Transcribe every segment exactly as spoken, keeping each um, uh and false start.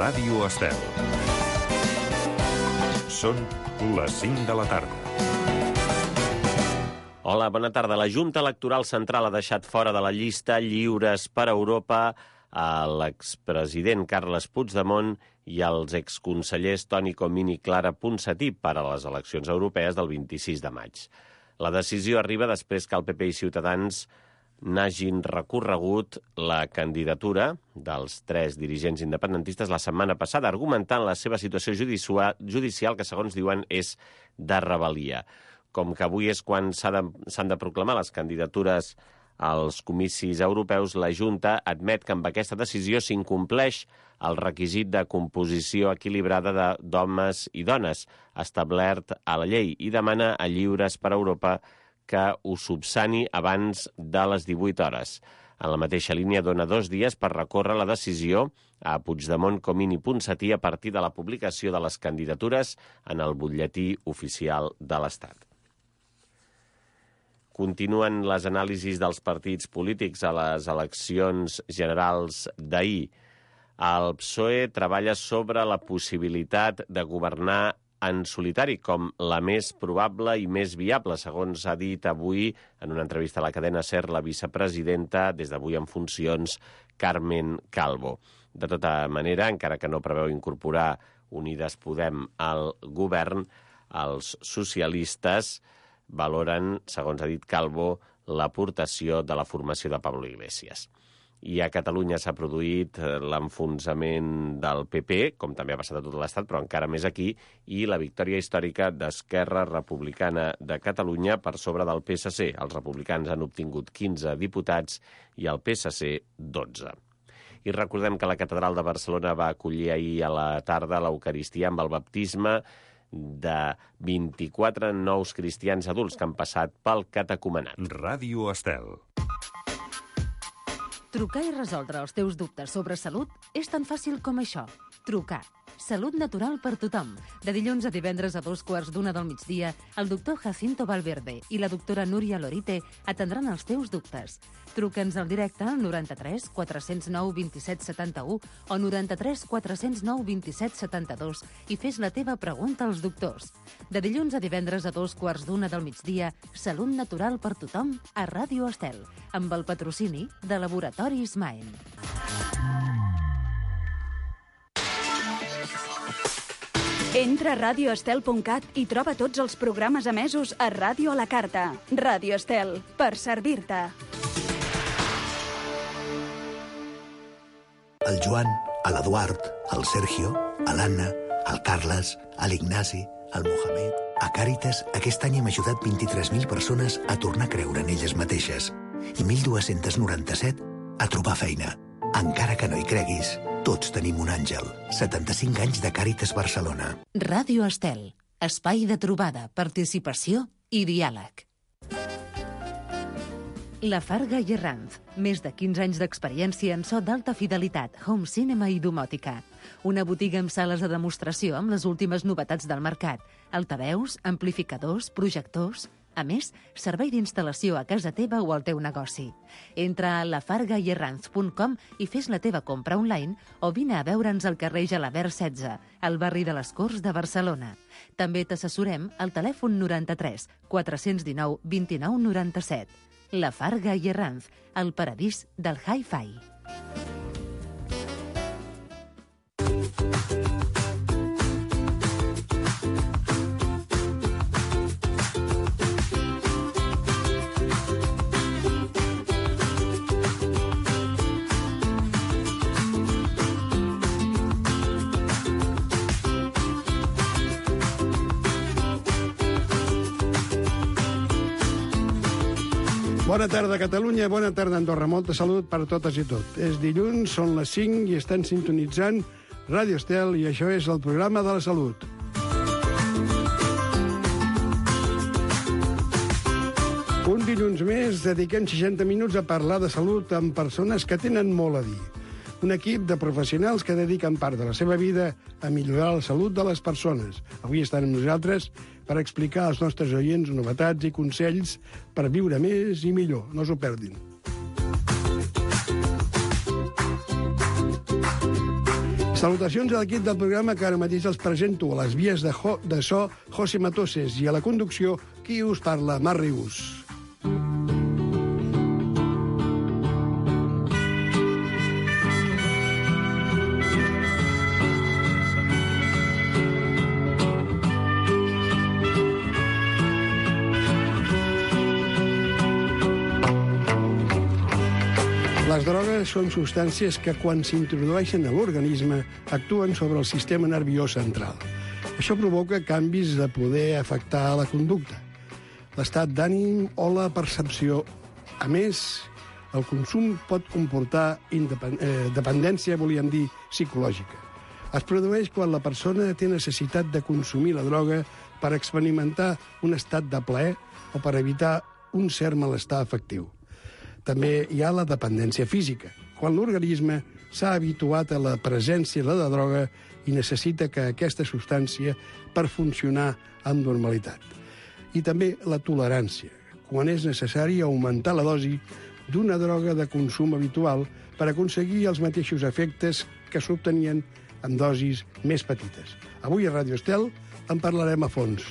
Ràdio Estel. Són les cinc de la tarda. Hola, bona tarda. La Junta Electoral Central ha deixat fora de la llista Lliures per Europa a l'expresident Carles Puigdemont i als exconsellers Toni Comín i Clara Ponsatí per a les eleccions europees del vint-i-sis de maig. La decisió arriba després que el P P i Ciutadans n'hagin recorregut la candidatura dels tres dirigents independentistes la setmana passada, argumentant la seva situació judicial, que segons diuen és de rebel·lia. Com que avui és quan s'han de, s'han de proclamar les candidatures als comicis europeus, la Junta admet que amb aquesta decisió s'incompleix el requisit de composició equilibrada de, d'homes i dones establert a la llei i demana a Lliures per Europa que ho subsani abans de les divuit hores. En la mateixa línia dona dos dies per recórrer la decisió a Puigdemont, Comín i Ponsatí a partir de la publicació de les candidatures en el butlletí oficial de l'Estat. Continuen les anàlisis dels partits polítics a les eleccions generals d'ahir. El P S O E treballa sobre la possibilitat de governar en solitari com la més probable i més viable, segons ha dit avui en una entrevista a la cadena SER la vicepresidenta, des d'avui en funcions, Carmen Calvo. De tota manera, encara que no preveu incorporar Unides Podem al govern, els socialistes valoren, segons ha dit Calvo, l'aportació de la formació de Pablo Iglesias. I a Catalunya s'ha produït l'enfonsament del P P, com també ha passat a tot l'Estat, però encara més aquí, i la victòria històrica d'Esquerra Republicana de Catalunya per sobre del P S C. Els republicans han obtingut quinze diputats i el P S C dotze. I recordem que la Catedral de Barcelona va acollir ahir a la tarda l'Eucaristia amb el baptisme de vint-i-quatre nous cristians adults que han passat pel catecumenat. Ràdio Estel. Trucar i resoldre els teus dubtes sobre salut és tan fàcil com això. Trucar. Salut natural per tothom. De dilluns a divendres a dos quarts d'una del migdia, el doctor Jacinto Valverde i la doctora Núria Lorite atendran els teus dubtes. Truca'ns al directe al noranta-tres quatre zero nou vint-i-set setanta-u o noranta-tres quatre zero nou vint-i-set setanta-dos i fes la teva pregunta als doctors. De dilluns a divendres a dos quarts d'una del migdia, Salut natural per tothom a Ràdio Estel, amb el patrocini de Laboratoris Maen. Entra a radio estel punt cat i troba tots els programes emesos a Ràdio a la Carta. Ràdio Estel, per servir-te. El Joan, l'Eduard, el Sergio, l'Anna, el Carles, l'Ignasi, el Mohamed... A Càritas, aquest any hem ajudat vint-i-tres mil persones a tornar a creure en elles mateixes i mil dos-cents noranta-set a trobar feina. Encara que no hi creguis, tots tenim un àngel. setanta-cinc anys de Càritas Barcelona. Ràdio Estel. Espai de trobada, participació i diàleg. La Farga i Herranz. Més de quinze anys d'experiència en so d'alta fidelitat, home cinema i domòtica. Una botiga amb sales de demostració amb les últimes novetats del mercat. Altaveus, amplificadors, projectors... A més, servei d'instal·lació a casa teva o al teu negoci. Entra a la farga i herranz punt com i fes la teva compra online o vine a veure'ns al carrer Gelabert setze, al barri de les Corts de Barcelona. També t'assessorem al telèfon noranta-tres quatre cents dinou vint-i-nou noranta-set. La Farga i Herranz, el paradís del hi-fi. Bona tarda, Catalunya, bona tarda, Andorra. Molta salut per totes i tot. És dilluns, són les cinc i estan sintonitzant Ràdio Estel i això és el programa de la salut. Un dilluns més dediquem seixanta minuts a parlar de salut amb persones que tenen molt a dir. Un equip de professionals que dediquen part de la seva vida a millorar la salut de les persones. Avui estan amb nosaltres per explicar als nostres oients novetats i consells per viure més i millor. No s'ho perdin. Salutacions a l'equip del programa que ara mateix els presento. A les vies de, jo, de so, José Matoses, i a la conducció, qui us parla, Marc Rius. Les drogues són substàncies que, quan s'introdueixen a l'organisme, actuen sobre el sistema nerviós central. Això provoca canvis de poder afectar la conducta, l'estat d'ànim o la percepció. A més, el consum pot comportar independ... eh, dependència, volíem dir, psicològica. Es produeix quan la persona té necessitat de consumir la droga per experimentar un estat de plaer o per evitar un cert malestar afectiu. També hi ha la dependència física, quan l'organisme s'ha habituat a la presència de la droga i necessita que aquesta substància per funcionar amb normalitat. I també la tolerància, quan és necessari augmentar la dosi d'una droga de consum habitual per aconseguir els mateixos efectes que s'obtenien amb dosis més petites. Avui a Ràdio Estel en parlarem a fons.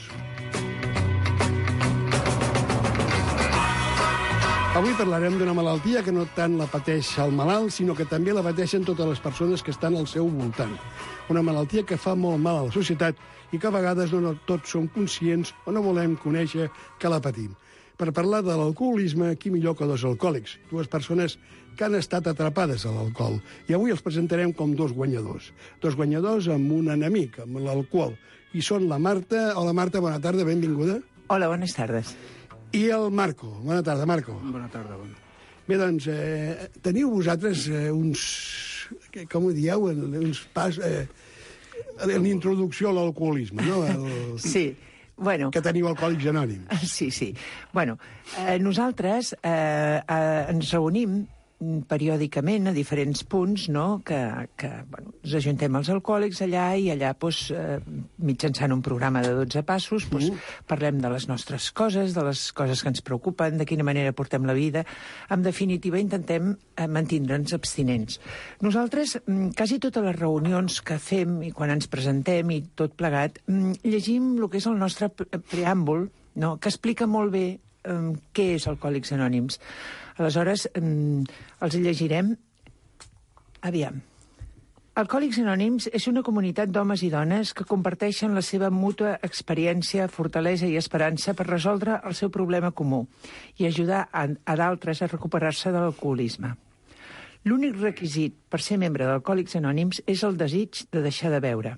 Avui parlarem d'una malaltia que no tant la pateix el malalt, sinó que també la pateixen totes les persones que estan al seu voltant. Una malaltia que fa molt mal a la societat i que a vegades no tots som conscients o no volem conèixer que la patim. Per parlar de l'alcoholisme, qui millor que dos alcohòlics, dues persones que han estat atrapades a l'alcohol. I avui els presentarem com dos guanyadors. Dos guanyadors amb un enemic, amb l'alcohol. I són la Marta. Hola, Marta, bona tarda, benvinguda. Hola, bones tardes. I el Marco. Bona tarda, Marco. Bona tarda, bona. Bé, doncs, eh, teniu vosaltres eh, uns... Com ho dieu? Uns pas... Eh, l'introducció a l'alcoholisme, no? El... Sí, bueno... Que teniu Alcohòlics Anònims. Sí, sí. Bueno, eh, nosaltres eh, eh, ens reunim periòdicament a diferents punts, no?, que, que bueno, ens ajuntem els alcohòlics allà i allà, doncs, eh, mitjançant un programa de dotze passos, doncs, mm. parlem de les nostres coses, de les coses que ens preocupen, de quina manera portem la vida. En definitiva, intentem eh, mantindre'ns abstinents. Nosaltres, quasi totes les reunions que fem i quan ens presentem i tot plegat, llegim el que és el nostre preàmbul, no?, que explica molt bé eh, què és Alcohòlics Anònims. Aleshores, eh, els llegirem. Aviam. Alcohòlics Anònims és una comunitat d'homes i dones que comparteixen la seva mútua experiència, fortalesa i esperança per resoldre el seu problema comú i ajudar a, a d'altres a recuperar-se de l'alcoholisme. L'únic requisit per ser membre d'Alcohòlics Anònims és el desig de deixar de beure.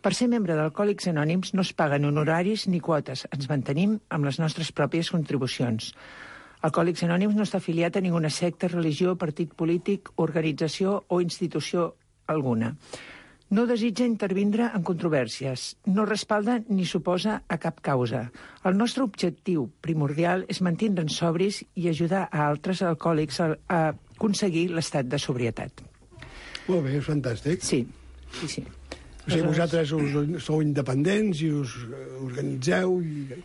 Per ser membre d'Alcohòlics Anònims no es paguen honoraris ni quotes, ens mantenim amb les nostres pròpies contribucions. Alcohòlics Anònims no està afiliat a ninguna secta, religió, partit polític, organització o institució alguna. No desitja intervindre en controvèrsies, no respalda ni s'oposa a cap causa. El nostre objectiu primordial és mantindre'ns sobris i ajudar a altres alcohòlics a, a aconseguir l'estat de sobrietat. Molt bé, és fantàstic. Sí, sí, sí. O sigui, vosaltres us, sou independents i us organitzeu i...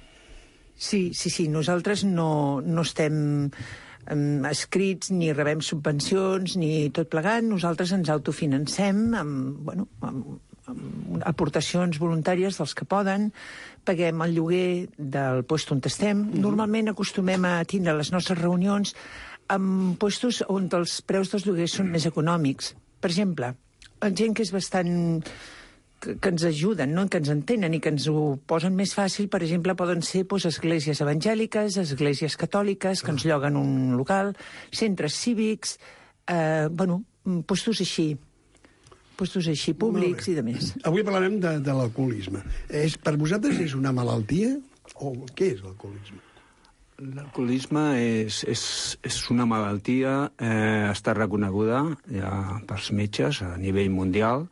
Sí, sí, sí. Nosaltres no, no estem um, escrits ni rebem subvencions ni tot plegat. Nosaltres ens autofinancem amb, bueno, amb, amb aportacions voluntàries dels que poden. Paguem el lloguer del lloc on estem. Mm-hmm. Normalment acostumem a tindre les nostres reunions en llocs on els preus dels lloguers són més econòmics. Per exemple, gent que és bastant... que ens ajuden, no? Que ens entenen i que ens ho posen més fàcil, per exemple, poden ser doncs, esglésies evangèliques, esglésies catòliques, que ens lloguen un local, centres cívics, eh, bueno, postos així, postos així públics i de més. Avui parlarem de, de l'alcoholisme. És, per vosaltres és una malaltia o què és l'alcoholisme? L'alcoholisme és, és, és una malaltia, eh, està reconeguda ja pels metges a nivell mundial,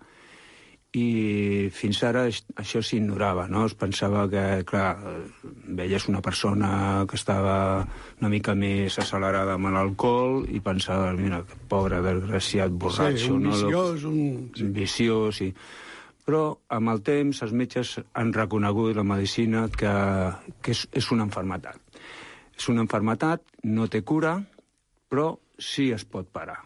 i fins ara això s'ignorava, no? Es pensava que, clar, veies una persona que estava una mica més accelerada amb l'alcohol i pensava, mira, que pobre, desgraciat, borratxo. Sí, un no? viciós, un... Sí. Viciós, sí. Però amb el temps els metges han reconegut la medicina que, que és, és una malaltia. És una malaltia, no té cura, però sí es pot parar.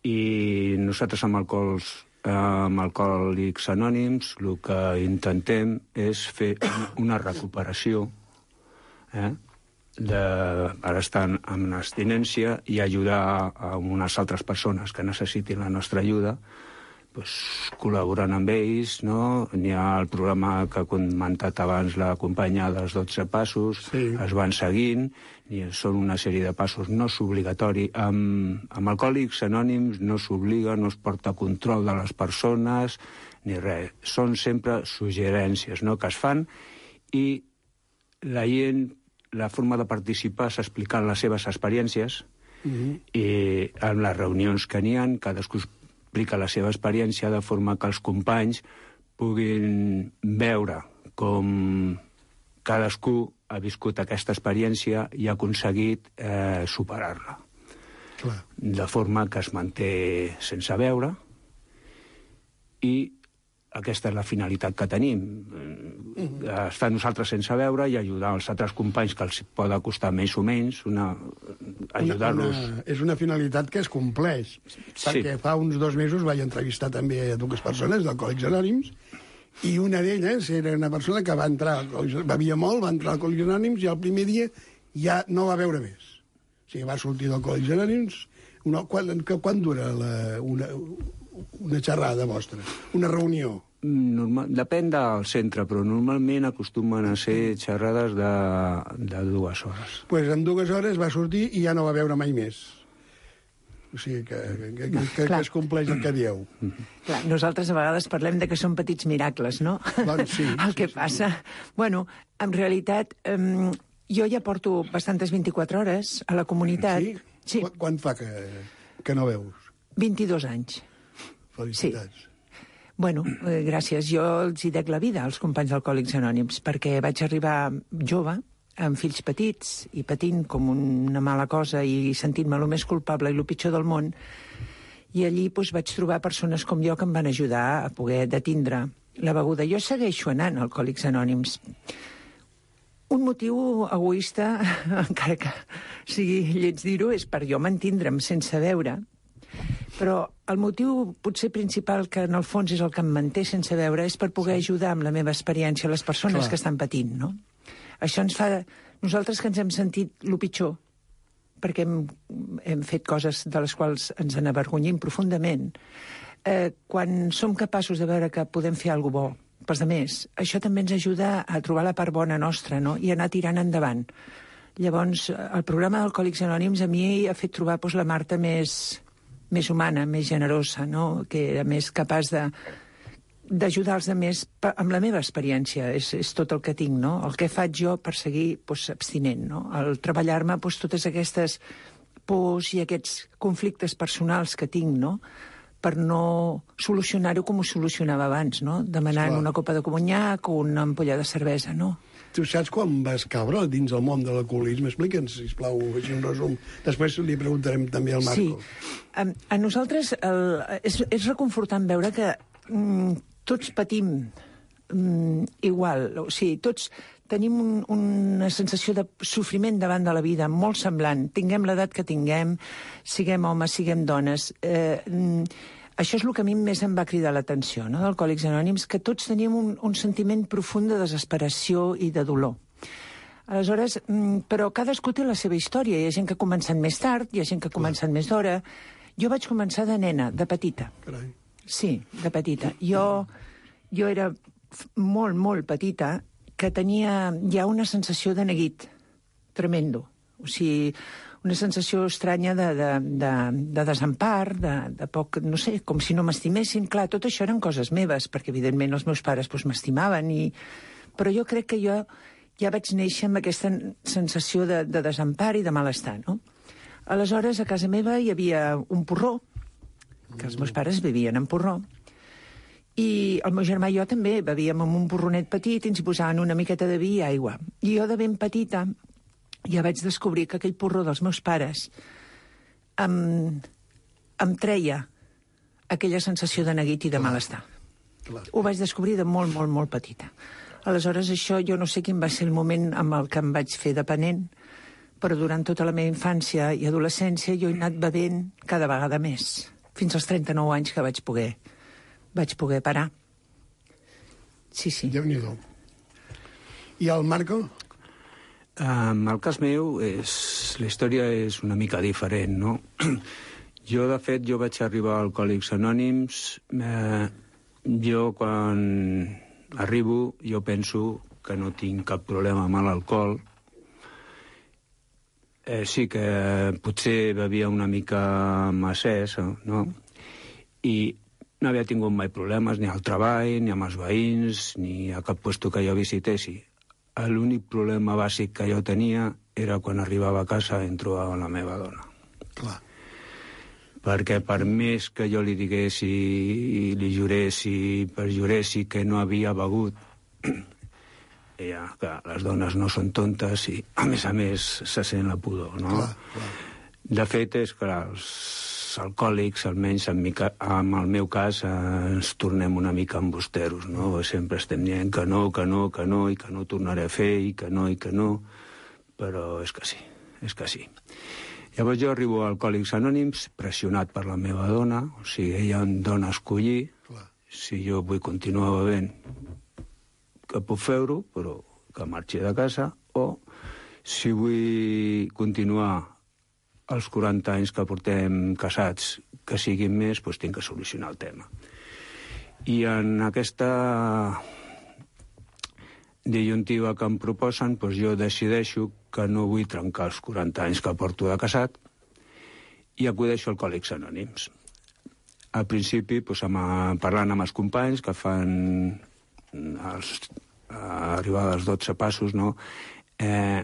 I nosaltres amb alcohols amb Alcohòlics Anònims, el que intentem és fer una recuperació, eh? de, per estar en abstinència i ajudar a unes altres persones que necessitin la nostra ajuda, pues, col·laborant amb ells, no? N'hi ha el programa que ha comentat abans la companya dels dotze passos, sí. Es van seguint, i són una sèrie de passos, no és obligatori. Amb, amb Alcohòlics Anònims no s'obliga, no es porta control de les persones, ni res. Són sempre suggerències, no?, que es fan, i la gent, la forma de participar és explicant les seves experiències, uh-huh. i en les reunions que n'hi ha, cadascú explica la seva experiència de forma que els companys puguin veure com cadascú ha viscut aquesta experiència i ha aconseguit eh, superar-la. Clar. De forma que es manté sense veure, i aquesta és la finalitat que tenim. Mm-hmm. Estar nosaltres sense veure i ajudar els altres companys que els pot costar més o menys, una, ajudar-los. Una, una, és una finalitat que es compleix, sí. Perquè fa uns dos mesos vaig entrevistar també a dues persones d'Alcohòlics Anònims, i una d'elles era una persona que va entrar, bevia molt, va entrar a Alcohòlics Anònims, i el primer dia ja no va veure més. O sigui, va sortir d'Alcohòlics Anònims. Una, quan, quan dura la, una, una xerrada vostra, una reunió? Normal, depèn del centre, però normalment acostumen a ser xerrades de, de dues hores. Doncs pues en dues hores va sortir i ja no va veure mai més. O sigui, que, que, que, que, que es compleix el que dieu. Clar, nosaltres a vegades parlem de que són petits miracles, no? Doncs sí. El que sí, passa... Sí. Bueno, en realitat, um, jo ja porto bastantes vint-i-quatre hores a la comunitat. Sí? Sí. Qu quan fa que, que no veus? vint-i-dos anys. Felicitats. Sí. Bueno, eh, gràcies. Jo els hi dec la vida als companys d'Alcohòlics Anònims, perquè vaig arribar jove, amb fills petits, i patint com una mala cosa i sentint-me el més culpable i el pitjor del món, i allí doncs, vaig trobar persones com jo que em van ajudar a poder detindre la beguda. Jo segueixo anant a Alcohòlics Anònims. Un motiu egoista, encara que sigui lleig dir-ho, és per jo mantindre'm sense veure, però el motiu potser principal, que en el fons és el que em manté sense veure, és per poder sí. ajudar amb la meva experiència a les persones Clar. Que estan patint, no? Això ens fa... Nosaltres que ens hem sentit el pitjor, perquè hem, hem fet coses de les quals ens n'avergonyim profundament, eh, quan som capaços de veure que podem fer alguna cosa bo pels altres, això també ens ajuda a trobar la part bona nostra, no?, i anar tirant endavant. Llavors, el programa d'Alcohòlics Anònims a mi ha fet trobar doncs, la Marta més... més humana, més generosa, no?, que era més capaç de d'ajudar els altres amb la meva experiència. És, és tot el que tinc, no? El que faig jo per seguir doncs, abstinent, no? El treballar-me doncs, totes aquestes pors i aquests conflictes personals que tinc, no?, per no solucionar-ho com ho solucionava abans, no?, demanant Clar. Una copa de conyac o una ampolla de cervesa, no? Tu saps quan vas caure dins el món de l'alcoholisme? Explica'ns, sisplau, així un resum. Després li preguntarem també al Marco. Sí. A, a nosaltres el, és, és reconfortant veure que mm, tots patim mm, igual. O sigui, tots tenim un, una sensació de sofriment davant de la vida molt semblant. Tinguem l'edat que tinguem, siguem homes, siguem dones... Eh, mm, Això és el que a mi més em va cridar l'atenció, no?, d'Alcohòlics Anònims, que tots teníem un, un sentiment profund de desesperació i de dolor. Aleshores, però cadascú té la seva història. Hi ha gent que ha començat més tard, hi ha gent que ha començat més d'hora. Jo vaig començar de nena, de petita. Carai. Sí, de petita. Jo, jo era molt, molt petita, que tenia ja una sensació de neguit tremendo. O sigui... una sensació estranya de, de, de, de desempar, de, de poc, no sé, com si no m'estimessin. Clar, tot això eren coses meves, perquè evidentment els meus pares doncs, m'estimaven, i... però jo crec que jo ja vaig néixer amb aquesta sensació de, de desempar i de malestar, no? Aleshores, a casa meva hi havia un porró, que els meus pares bevien en porró, i el meu germà i jo també bevíem amb un porronet petit i ens hi posaven una miqueta de vi i aigua. I jo, de ben petita, ja vaig descobrir que aquell porró dels meus pares em, em treia aquella sensació de neguit i de malestar. Clar. Ho vaig descobrir de molt, molt, molt petita. Aleshores, això jo no sé quin va ser el moment amb el que em vaig fer dependent, però durant tota la meva infància i adolescència jo he anat bevent cada vegada més, fins als trenta-nou anys que vaig poder vaig poder parar. Sí, sí. Déu-n'hi-do. I el Marco? En el cas meu, és, la història és una mica diferent, no? Jo, de fet, jo vaig arribar a Alcohòlics Anònims. Eh, jo, quan arribo, jo penso que no tinc cap problema amb l'alcohol. Eh, sí que potser bevia una mica massès, no? I no havia tingut mai problemes ni al treball, ni amb els veïns, ni a cap puesto que jo visitessi. L'únic problema bàsic que jo tenia era quan arribava a casa i em trobava la meva dona. Clar. Perquè per més que jo li diguessi, li juressi, perjuressi que no havia begut, ella, que les dones no són tontes i, a més a més, se sent la pudor, no? Clar, clar. De fet, és que els alcohòlics, almenys en, mi, en el meu cas, eh, ens tornem una mica embusteros, no? Sempre estem dient que no, que no, que no, i que no tornaré a fer, i que no, i que no, però és que sí, és que sí. Llavors jo arribo a Alcohòlics Anònims pressionat per la meva dona, o sigui, ella em dona a escollir, clar, si jo vull continuar bevent, que puc fer-ho, però que marxi de casa, o si vull continuar els quaranta anys que portem casats, que siguin més, doncs tinc que solucionar el tema. I en aquesta disyuntiva que em proposen, doncs jo decideixo que no vull trencar els quaranta anys que porto de casat i acudeixo a Alcohòlics Anònims. Al principi, doncs, amb, parlant amb els companys que fan els, arribar als dotze passos, no? Eh,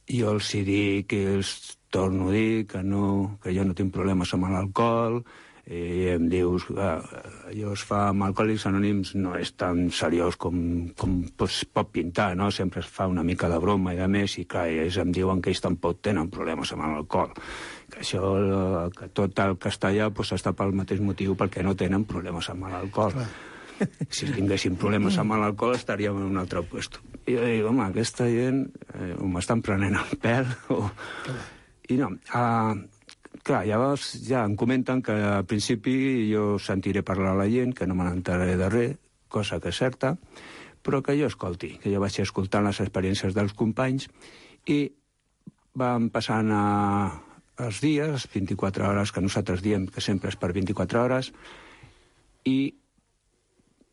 jo els hi dic, els torno a dir que, no, que jo no tinc problemes amb l'alcohol, i em dius que allò es fa amb Alcohòlics Anònims no és tan seriós com, com es pot pintar, no? Sempre es fa una mica de broma i de més, i clar, ells em diuen que ells tampoc tenen problemes amb l'alcohol, que això, que tot el castellà pues, està pel mateix motiu perquè no tenen problemes amb l'alcohol. Si tinguéssim problemes amb l'alcohol estaríem en un altre puesto. I jo dic, home, aquesta gent eh, o m'estan prenent el pèl o... I no, uh, clar, llavors ja em comenten que al principi jo sentiré parlar a la gent, que no me n'enteraré de res, cosa que és certa, però que jo escolti, que jo vaig escoltant les experiències dels companys i van passant a, els dies, vint-i-quatre hores, que nosaltres diem que sempre és per vint-i-quatre hores, i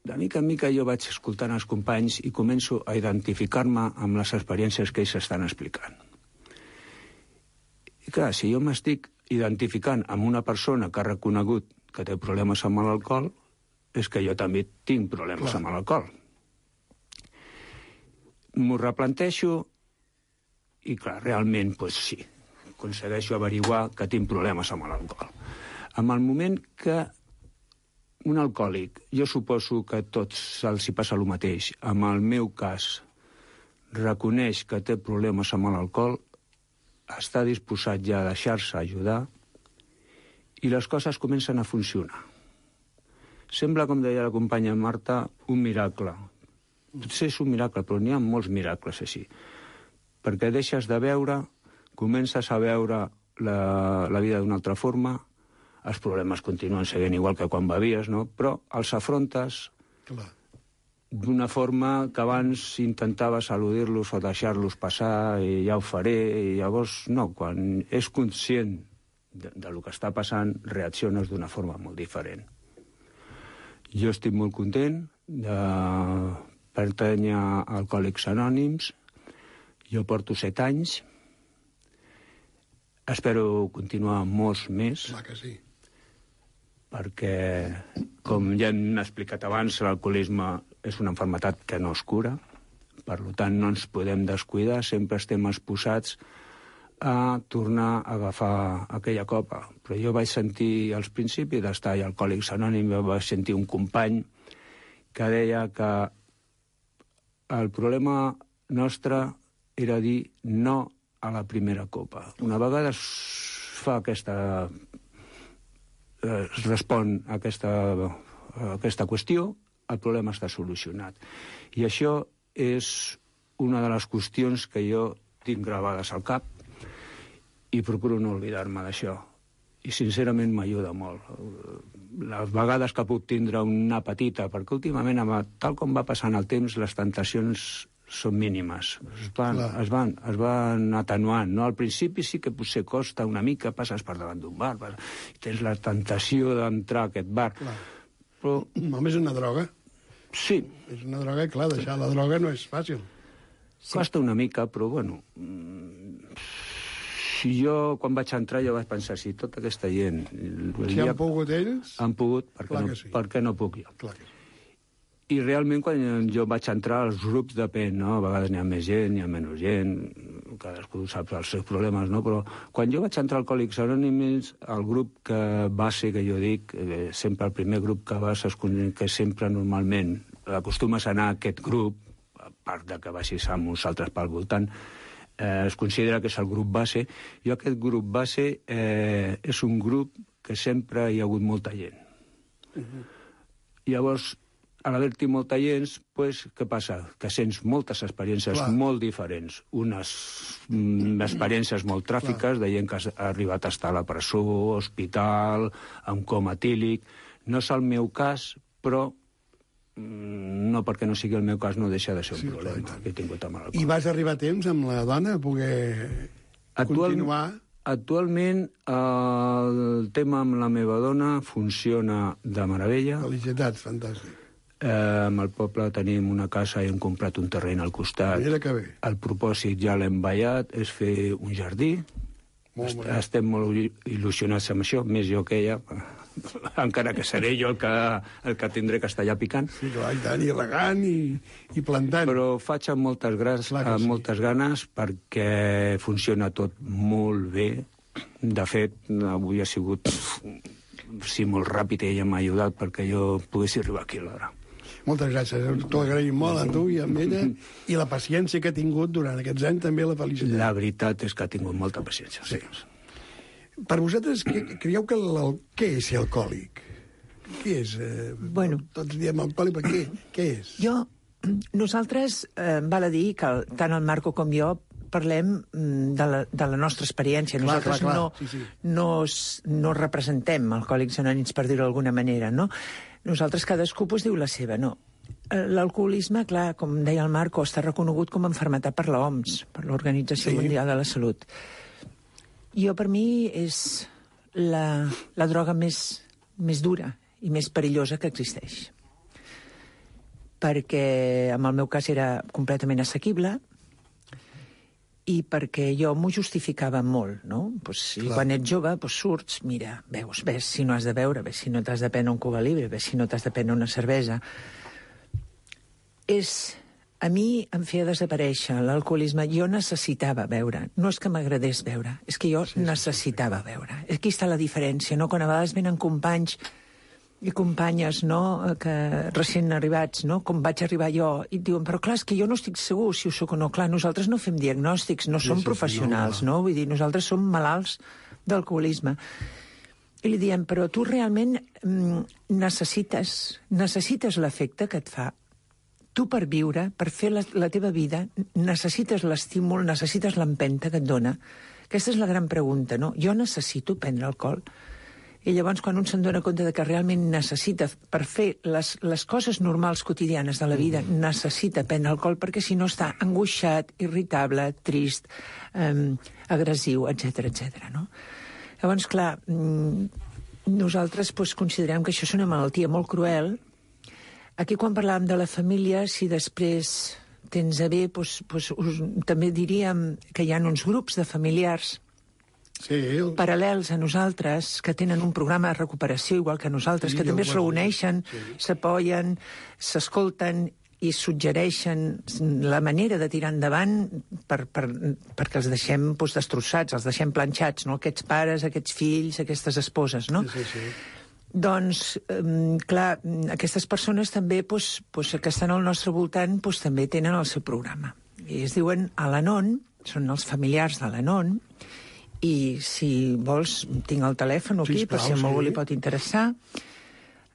de mica en mica jo vaig escoltant els companys i començo a identificar-me amb les experiències que ells estan explicant. I clar, si jo m'estic identificant amb una persona que ha reconegut que té problemes amb l'alcohol, és que jo també tinc problemes clar. Amb l'alcohol. M'ho replanteixo i, clar, realment, doncs sí, aconsegueixo averiguar que tinc problemes amb l'alcohol. En el moment que un alcohòlic, jo suposo que a tots els hi passa el mateix, en el meu cas, reconeix que té problemes amb l'alcohol, està disposat ja a deixar-se ajudar i les coses comencen a funcionar. Sembla, com deia la companya Marta, un miracle. Potser és un miracle, però n'hi ha molts miracles així. Perquè deixes de veure, comences a veure la, la vida d'una altra forma, els problemes continuen seguint igual que quan bevies, no? Però els afrontes clar. D'una forma que abans intentaves eludir-los o deixar-los passar i ja ho faré, i llavors no, quan és conscient de, de lo que està passant, reacciones d'una forma molt diferent. Jo estic molt content de pertànyer a Alcohòlics Anònims, jo porto set anys, espero continuar molts més. Clar que sí. Perquè, com ja hem explicat abans, l'alcoholisme és una malaltia que no es cura, per tant no ens podem descuidar, sempre estem exposats a tornar a agafar aquella copa. Però jo vaig sentir, als principis d'estar a Alcohòlics Anònims, vaig sentir un company que deia que el problema nostre era dir no a la primera copa. Una vegada es fa aquesta... es respon a aquesta, a aquesta qüestió, el problema està solucionat. I això és una de les qüestions que jo tinc gravades al cap i procuro no oblidar-me d'això. i sincerament m'ajuda molt. Les vegades que puc tindre una petita, perquè últimament, tal com va passant el temps, les tentacions són mínimes. Es van, es van, es van atenuant. No? Al principi sí que potser costa una mica, passes per davant d'un bar, i tens la tentació d'entrar a aquest bar. Clar. Però... Home, és una droga. Sí. És una droga, clar, deixar la droga no és fàcil. Sí. Costa una mica, però, bueno... Si jo, quan vaig entrar, jo vaig pensar, si tota aquesta gent... Si han pogut ells... Han pogut, per què no, sí. per què no puc jo? Clar que sí. I realment, quan jo vaig entrar, els grups depèn, no? A vegades n'hi ha més gent, n'hi ha menys gent, cadascú sap els seus problemes, no? Però quan jo vaig entrar al Alcohòlics Anònims, el grup que base, que jo dic, eh, sempre el primer grup que vas, que sempre normalment acostumes a anar a aquest grup, a part de que vagis amb uns altres pel voltant, Eh, es considera que és el grup base. Jo aquest grup base eh, és un grup que sempre hi ha hagut molta gent. Uh-huh. Llavors, a l'haver-hi molta gent, pues, què passa? Que sents moltes experiències Clar. molt diferents. Unes mm, experiències molt tràfiques, Clar. de gent que ha arribat a estar a la presó, hospital, amb coma etílic. No és el meu cas, però no perquè no sigui el meu cas no deixa de ser un sí, problema clar, que he tingut amb el... I vas arribar a temps amb la dona a poder Actual, continuar? Actualment el tema amb la meva dona funciona de meravella. Felicitats, fantàstic. Eh, amb el poble tenim una casa i hem comprat un terreny al costat. Mira que bé. El propòsit ja l'hem ballat, és fer un jardí. Molt Est Estem molt il·lusionats amb això, més jo que ella... encara que seré jo el que, el que tindré que estar allà picant. Sí, clar, i tant, i regant i, i plantant. Però faig amb moltes, gras, amb sí. moltes ganes perquè funciona tot molt bé. De fet, avui ha sigut sí, molt ràpid i ella m'ha ajudat perquè jo pogués arribar aquí a l'hora. Moltes gràcies, t'ho agraïm molt a tu i a ella, i la paciència que ha tingut durant aquests anys, també la felicitat. La veritat és que ha tingut molta paciència, sí. sí. Per vosaltres, creieu que el, què és ser alcohòlic? Què és? Eh, bueno, tots diem alcohòlic, però què, què és? Jo, nosaltres, eh, val a dir que tant el Marco com jo parlem de la, de la nostra experiència. Clar, nosaltres clar, clar. no, sí, sí. no, no representem Alcohòlics Anònims, per dir-ho d'alguna manera, no? Nosaltres cadascú pues, diu la seva, no? L'alcoholisme, clar, com deia el Marco, està reconegut com a malaltia per l'O M S, per l'Organització sí. Mundial de la Salut. Jo, per mi, és la, la droga més, més dura i més perillosa que existeix. Perquè, en el meu cas, era completament assequible i perquè jo m'ho justificava molt, no? Pues, I quan ets jove, pues, surts, mira, veus, ves si no has de beure, ves si no t'has de prendre un Cuba Libre, ves si no t'has de prendre una cervesa. És... A mi em feia desaparèixer l'alcoholisme. Jo necessitava beure. No és que m'agradés beure, és que jo sí, necessitava sí, sí. beure. Aquí està la diferència, no? Quan a vegades venen companys i companyes, no?, que recent arribats, no?, com vaig arribar jo, i et diuen, però clar, és que jo no estic segur si ho soc o no. Clar, nosaltres no fem diagnòstics, no sí, som sí, professionals, sí, no, no? Vull dir, nosaltres som malalts d'alcoholisme. I li diem, però tu realment mm, necessites, necessites l'efecte que et fa. Tu per viure, per fer la, la teva vida, necessites l'estímul, necessites l'empenta que et dona. Aquesta és la gran pregunta, no? Jo necessito prendre alcohol. I llavors, quan un se'n dona compte de que realment necessita, per fer les, les coses normals quotidianes de la vida, necessita prendre alcohol, perquè si no està angoixat, irritable, trist, eh, agressiu, etcètera, etcètera, no? Llavors, clar, nosaltres pues, considerem que això és una malaltia molt cruel. Aquí, quan parlàvem de la família, si després tens a bé, doncs, doncs, us, també diríem que hi ha uns grups de familiars sí. paral·lels a nosaltres que tenen un programa de recuperació igual que nosaltres, sí, que també es reuneixen, sí. s'apoyen, s'escolten i suggereixen la manera de tirar endavant per, per, perquè els deixem doncs, destrossats, els deixem planxats, no? Aquests pares, aquests fills, aquestes esposes, no? Sí, sí, sí. Doncs, eh, clar, aquestes persones també, doncs, doncs, que estan al nostre voltant, doncs, també tenen el seu programa. I es diuen Al-Anon, són els familiars de l'Anon, i si vols, tinc el telèfon aquí, sí, per si a algú sí. li pot interessar.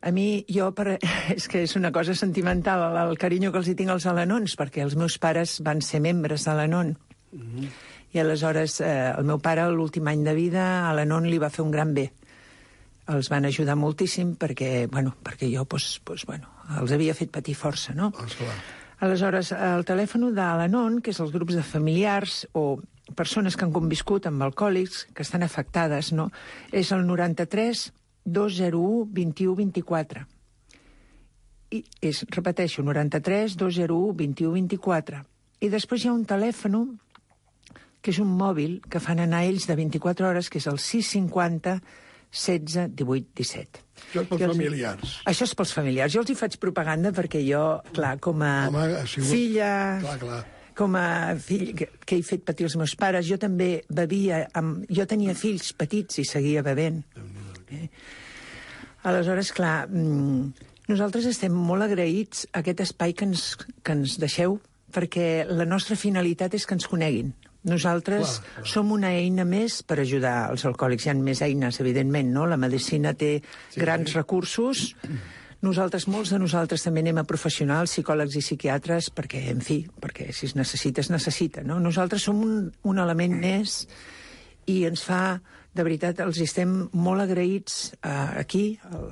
A mi, jo, per... és que és una cosa sentimental, el, el carinyo que els hi tinc als Al-Anons, perquè els meus pares van ser membres de l'Anon. Mm-hmm. I aleshores, eh, el meu pare, l'últim any de vida, a l'Anon li va fer un gran bé. els van ajudar moltíssim perquè, bueno, perquè jo pues, pues, bueno, els havia fet patir força, no? Aleshores, el telèfon de l'Anon, que és els grups de familiars o persones que han conviscut amb alcohòlics, que estan afectades, no? És el noranta-tres dos zero u vint u vint-i-quatre. I és, repeteixo, noranta-tres dos zero u vint u vint-i-quatre. I després hi ha un telèfon que és un mòbil que fan anar ells de vint-i-quatre hores, que és el sis cinquanta setze divuit disset. Això és pels els... familiars. Això és pels familiars. Jo els hi faig propaganda perquè jo, clar, com a Home, ha sigut... filla... Clar, clar. Com a fill que, que he fet patir els meus pares, jo també bevia... Amb... Jo tenia fills petits i seguia bevent. Eh? Aleshores, clar, nosaltres estem molt agraïts a aquest espai que ens, que ens deixeu, perquè la nostra finalitat és que ens coneguin. Nosaltres clar, clar. som una eina més per ajudar els alcohòlics. Hi ha més eines, evidentment, no? La medicina té sí, grans sí. recursos. Nosaltres, molts de nosaltres també anem a professionals, psicòlegs i psiquiatres, perquè, en fi, perquè si es necessita, es necessita, no? Nosaltres som un, un element més i ens fa, de veritat, els estem molt agraïts uh, aquí, el,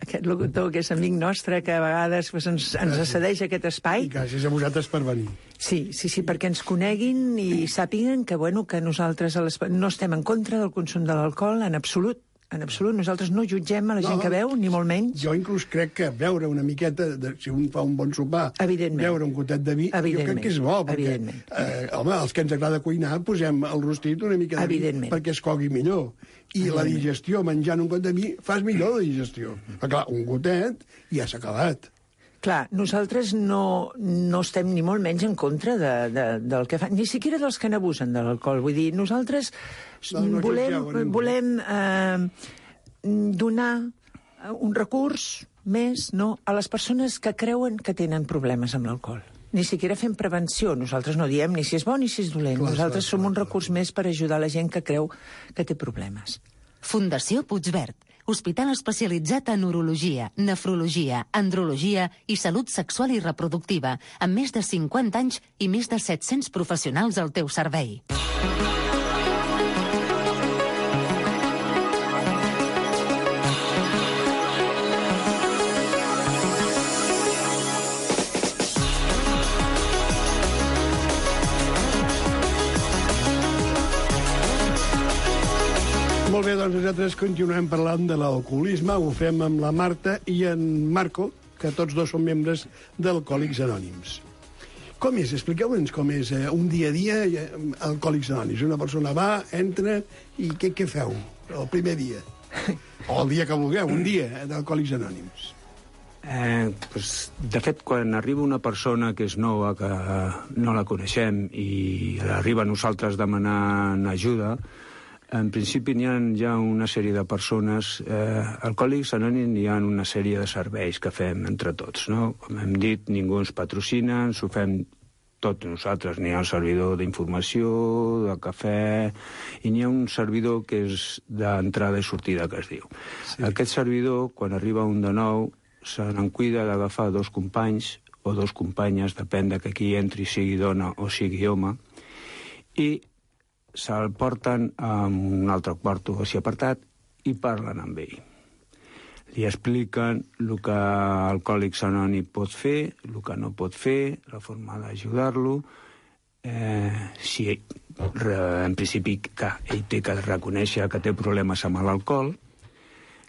aquest locutor que és amic nostre, que a vegades pues, ens, ens cedeix aquest espai. I gràcies a vosaltres per venir. Sí, sí, sí, perquè ens coneguin i sàpiguen que, bueno, que nosaltres a les... no estem en contra del consum de l'alcohol, en absolut. En absolut, nosaltres no jutgem a la gent no, que veu, ni molt menys. Jo inclús crec que beure una miqueta, de, si un fa un bon sopar, beure un gotet de vi, jo crec que és bo, perquè, eh, home, els que ens agrada cuinar, posem el rostit una mica de vi perquè es cogui millor. I la digestió, menjant un got de vi, fas millor la digestió. Però clar, un gotet ja s'ha acabat. Clar, nosaltres no, no estem ni molt menys en contra de, de, del que fan, ni siquiera dels que n'abusen de l'alcohol. Vull dir, nosaltres no, no volem, volem eh, donar un recurs més no, a les persones que creuen que tenen problemes amb l'alcohol. Ni siquiera fem prevenció. Nosaltres no diem ni si és bo ni si és dolent. Clar, nosaltres clar, som clar, un recurs clar. més per ajudar la gent que creu que té problemes. Fundació Puigverd, hospital especialitzat en urologia, nefrologia, andrologia i salut sexual i reproductiva, amb més de cinquanta anys i més de set-cents professionals al teu servei. Molt bé, doncs nosaltres continuem parlant de l'alcoholisme, ho fem amb la Marta i en Marco, que tots dos són membres d'Alcohòlics Anònims. Com és? Expliqueu-nos com és eh, un dia a dia eh, Alcohòlics Anònims. Una persona va, entra, i què, què feu el primer dia? O el dia que vulgueu, un dia d'Alcohòlics Anònims. Eh, pues, de fet, quan arriba una persona que és nova, que no la coneixem, i arriba a nosaltres demanant ajuda, en principi n'hi ha ja una sèrie de persones, eh, Alcohòlics Anònims, hi ha una sèrie de serveis que fem entre tots, no? Com hem dit, ningú ens patrocina, ens ho fem tot nosaltres. N'hi ha un servidor d'informació, de cafè, i n'hi ha un servidor que és d'entrada i sortida, que es diu. Sí. Aquest servidor, quan arriba un de nou, se n'en cuida d'agafar dos companys o dos companyes, depèn de que qui entri sigui dona o sigui home, i se'l porten a un altre quarto així apartat i parlen amb ell. Li expliquen el que Alcohòlics Anònims pot fer, el que no pot fer, la forma d'ajudar-lo, eh, si en principi que ell té que reconèixer que té problemes amb l'alcohol.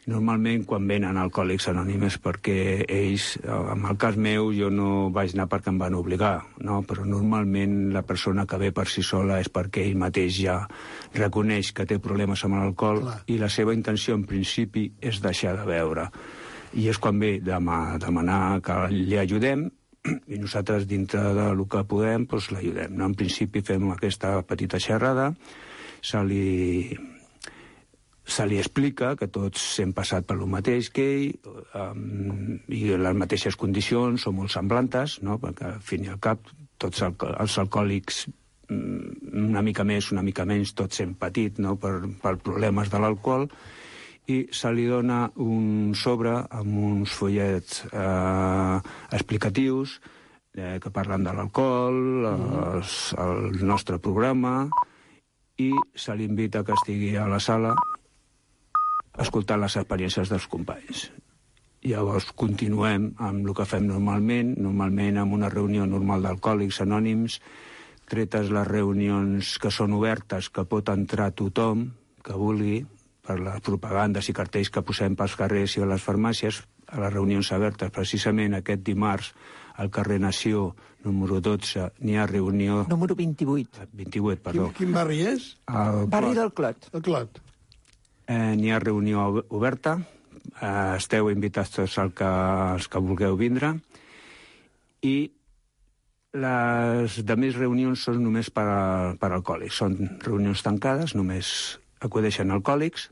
Normalment, quan venen Alcohòlics Anònims, perquè ells, en el cas meu, jo no vaig anar perquè em van obligar, no? Però normalment la persona que ve per si sola és perquè ell mateix ja reconeix que té problemes amb l'alcohol. Clar. I la seva intenció, en principi, és deixar de beure. I és quan ve demanar que li ajudem, i nosaltres, dintre del que podem, doncs l'ajudem. No? En principi fem aquesta petita xerrada, se li... se li explica que tots hem passat per lo mateix que ell, um, i les mateixes condicions són molt semblantes, no? Perquè al fin i al cap tots els alcohòlics, una mica més, una mica menys, tots hem patit, no? per, per problemes de l'alcohol, i se li dona un sobre amb uns follets eh, explicatius eh, que parlen de l'alcohol, mm. el nostre programa, i se li invita que estigui a la sala escoltant les experiències dels companys. Llavors continuem amb el que fem normalment, normalment amb una reunió normal d'Alcohòlics Anònims, tretes les reunions que són obertes, que pot entrar tothom que vulgui, per les propagandes i cartells que posem pels carrers i a les farmàcies, a les reunions obertes. Precisament aquest dimarts, al carrer Nació, número dotze, n'hi ha reunió... Número vint-i-vuit. vint-i-vuit, perdó. Quin, quin barri és? El Barri Clot. del Clot. El Clot. Eh, n'hi ha reunió oberta, eh, esteu invitats tots els que, els que vulgueu vindre, i les demés reunions són només per, a, per alcohòlics. Són reunions tancades, només acudeixen alcohòlics,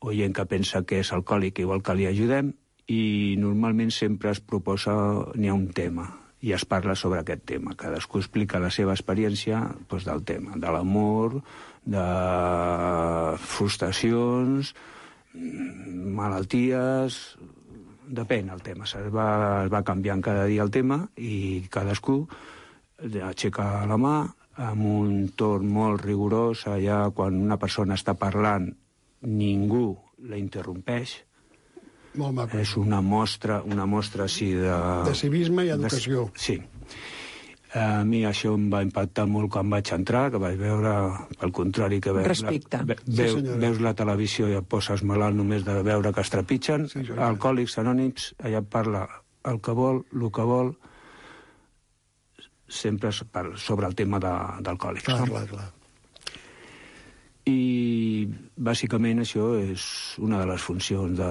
o gent que pensa que és alcohòlic i vol que li ajudem, i normalment sempre es proposa, n'hi ha un tema, i es parla sobre aquest tema. Cadascú explica la seva experiència doncs, del tema, de l'amor, de frustracions, malalties... Depèn el tema, es va, es va canviant cada dia el tema i cadascú aixeca la mà amb un torn molt rigorós. Allà, quan una persona està parlant, ningú la interrompeix. Molt maco. És una mostra, una mostra així de... De civisme i educació. De, sí. A mi això em va impactar molt quan vaig entrar, que vaig veure, pel contrari, que veus, Respecte. La, ve, veu, Sí, veus la televisió i et poses malalt només de veure que es trepitgen. Sí, Alcohòlics Anònims, allà parla el que vol, el que vol, sempre sobre el tema de, d'alcohòlics. Clar, No? clar, clar. I bàsicament això és una de les funcions de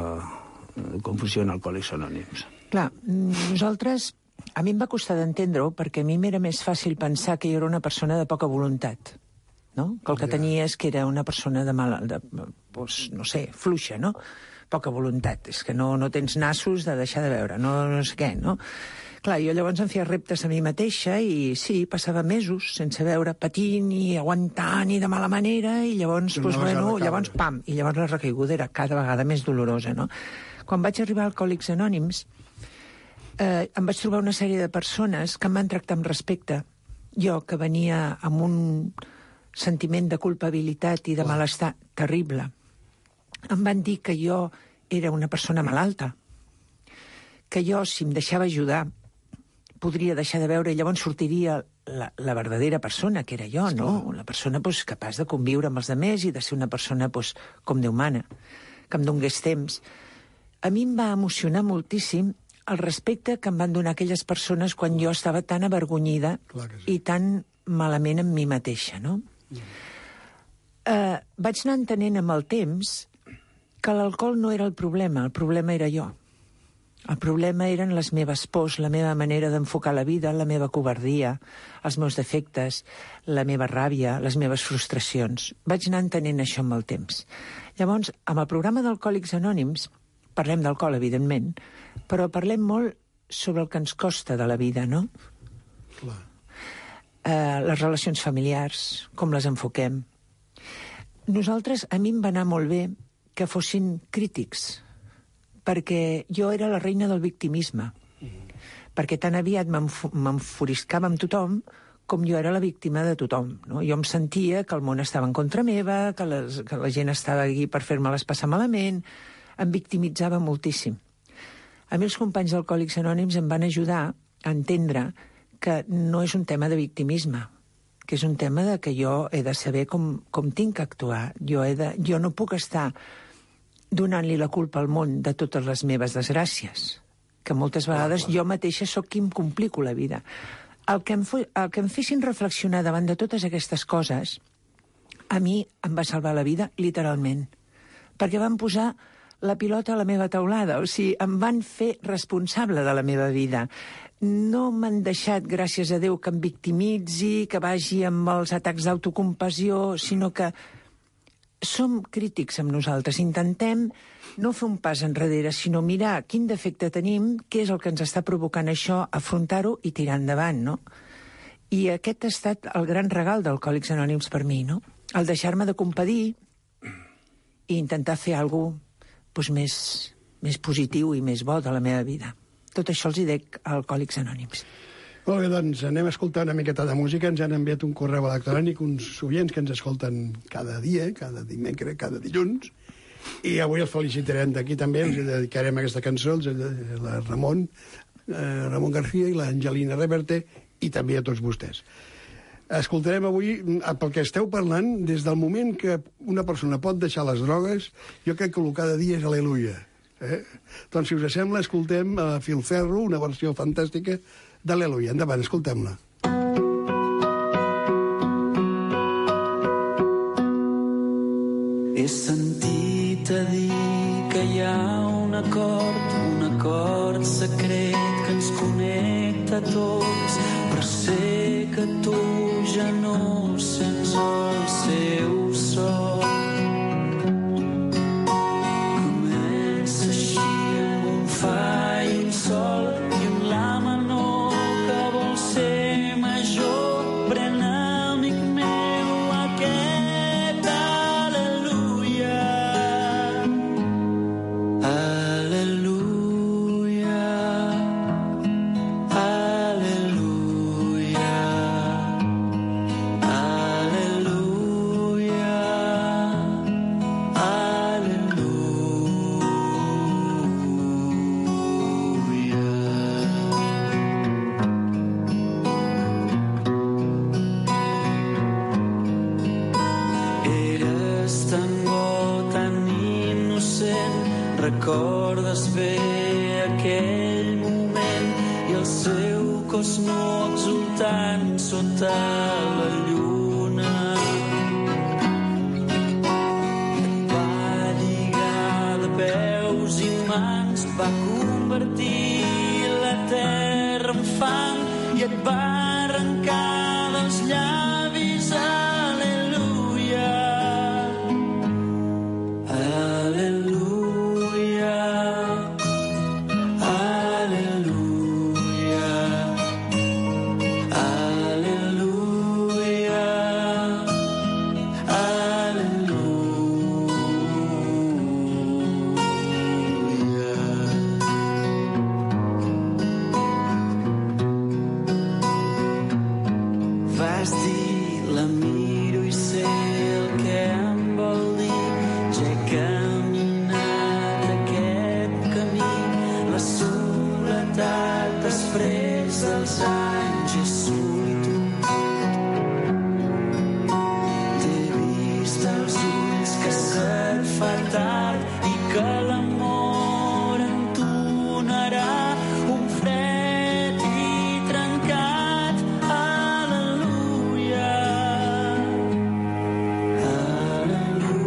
com funciona Alcohòlics Anònims. Clar, nosaltres... A mi em va costar d'entendre-ho perquè a mi m'era més fàcil pensar que jo era una persona de poca voluntat, no? Que el que tenia és que era una persona de mala... De, doncs, no sé, fluixa, no? Poca voluntat. És que no, no tens nassos de deixar de veure, no, no sé què, no? Clar, jo llavors em feia reptes a mi mateixa i sí, passava mesos sense veure, patint i aguantant i de mala manera i llavors, doncs, bueno, llavors, pam, i llavors la recaiguda era cada vegada més dolorosa, no? Quan vaig arribar a Alcohòlics Anònims, eh, em vaig trobar una sèrie de persones que em van tractar amb respecte. Jo, que venia amb un sentiment de culpabilitat i de malestar terrible, em van dir que jo era una persona malalta, que jo, si em deixava ajudar, podria deixar de veure i llavors sortiria la, la verdadera persona, que era jo, no? La persona pues, capaç de conviure amb els altres i de ser una persona pues, com Déu mana, que em donés temps. A mi em va emocionar moltíssim el respecte que em van donar aquelles persones quan jo estava tan avergonyida sí. i tan malament amb mi mateixa, no? Mm. Uh, vaig anar entenent amb el temps que l'alcohol no era el problema, el problema era jo. El problema eren les meves pors, la meva manera d'enfocar la vida, la meva covardia, els meus defectes, la meva ràbia, les meves frustracions. Vaig anar entenent això amb el temps. Llavors, amb el programa d'Alcohòlics Anònims, parlem d'alcohol, evidentment, però parlem molt sobre el que ens costa de la vida, no? Clar. Eh, les relacions familiars, com les enfoquem. Nosaltres, a mi em va anar molt bé que fossin crítics, perquè jo era la reina del victimisme, perquè tan aviat m'enfuriscava amb tothom com jo era la víctima de tothom. No? Jo em sentia que el món estava en contra meva, que, les, que la gent estava aquí per fer-me-les passar malament, em victimitzava moltíssim. A mi els companys d'Alcohòlics Anònims em van ajudar a entendre que no és un tema de victimisme, que és un tema de que jo he de saber com, com tinc que actuar. Jo, he de, jo no puc estar donant-li la culpa al món de totes les meves desgràcies, que moltes vegades jo mateixa sóc qui em complico la vida. El que, em fo, el que em fessin reflexionar davant de totes aquestes coses, a mi em va salvar la vida, literalment, perquè van posar la pilota a la meva taulada, o sigui, em van fer responsable de la meva vida. No m'han deixat, gràcies a Déu, que em victimitzi, que vagi amb els atacs d'autocompassió, sinó que som crítics amb nosaltres. Intentem no fer un pas enrere, sinó mirar quin defecte tenim, què és el que ens està provocant això, afrontar-ho i tirar endavant, no? I aquest ha estat el gran regal d'Alcohòlics Anònims per mi, no? El deixar-me de compadir i intentar fer alguna cosa doncs, més, més positiu i més bo de la meva vida. Tot això els hi dec a Alcohòlics Anònims. Molt bé, doncs anem a escoltar una miqueta de música. Ens han enviat un correu electrònic, uns oients que ens escolten cada dia, cada dimecres, cada dilluns, I avui els felicitarem d'aquí també, els dedicarem aquesta cançó, la Ramon, eh, Ramon García i l'Angelina Reverte, i també a tots vostès. Escoltarem avui, pel que esteu parlant, des del moment que una persona pot deixar les drogues, jo crec que el cada dia és aleluia. Eh? Doncs, si us sembla, escoltem a Filferro, una versió fantàstica d'Aleluia. Endavant, escoltem-la. He sentit a dir que hi ha un acord, un acord secret que ens connecta a tots, però sé que tu ja no sents el seu so. Comença així amb un fa i un sol i un la menor que vol ser major. Pren, amic meu, aquest aleluia. Aleluia. Aleluia. Aleluia. Eres tan bo, tan innocent, recordes bé aquell moment i el seu cos nu exultant sota la lluna. Et va lligar de peus i mans, va convertir la terra en fang i et va arrencar dels llavis. Aleluia. Aleluia. Aleluia. Aleluia. Vas dir, la miro i sé el que em vol dir. Ja he caminat aquest camí. La soledat després dels anys és solitud. T'he vist els ulls que se't fa tard i que l'amor entonarà un fred i trencat. Aleluia. Aleluia.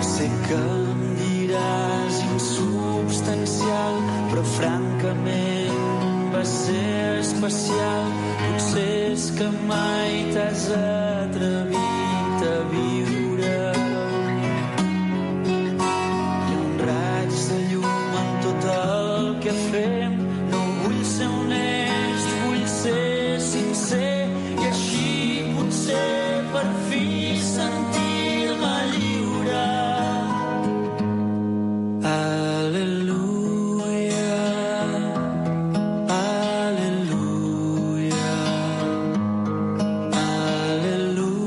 Sé que em diràs insubstancial, però francament va ser especial. Potser és que mai t'has atrevit a viure. Hi ha un raig de llum en tot el que fem. No vull ser honest, vull ser sincer, i així potser per fi sentir-me lliure. Aleluia. Aleluia. Aleluia.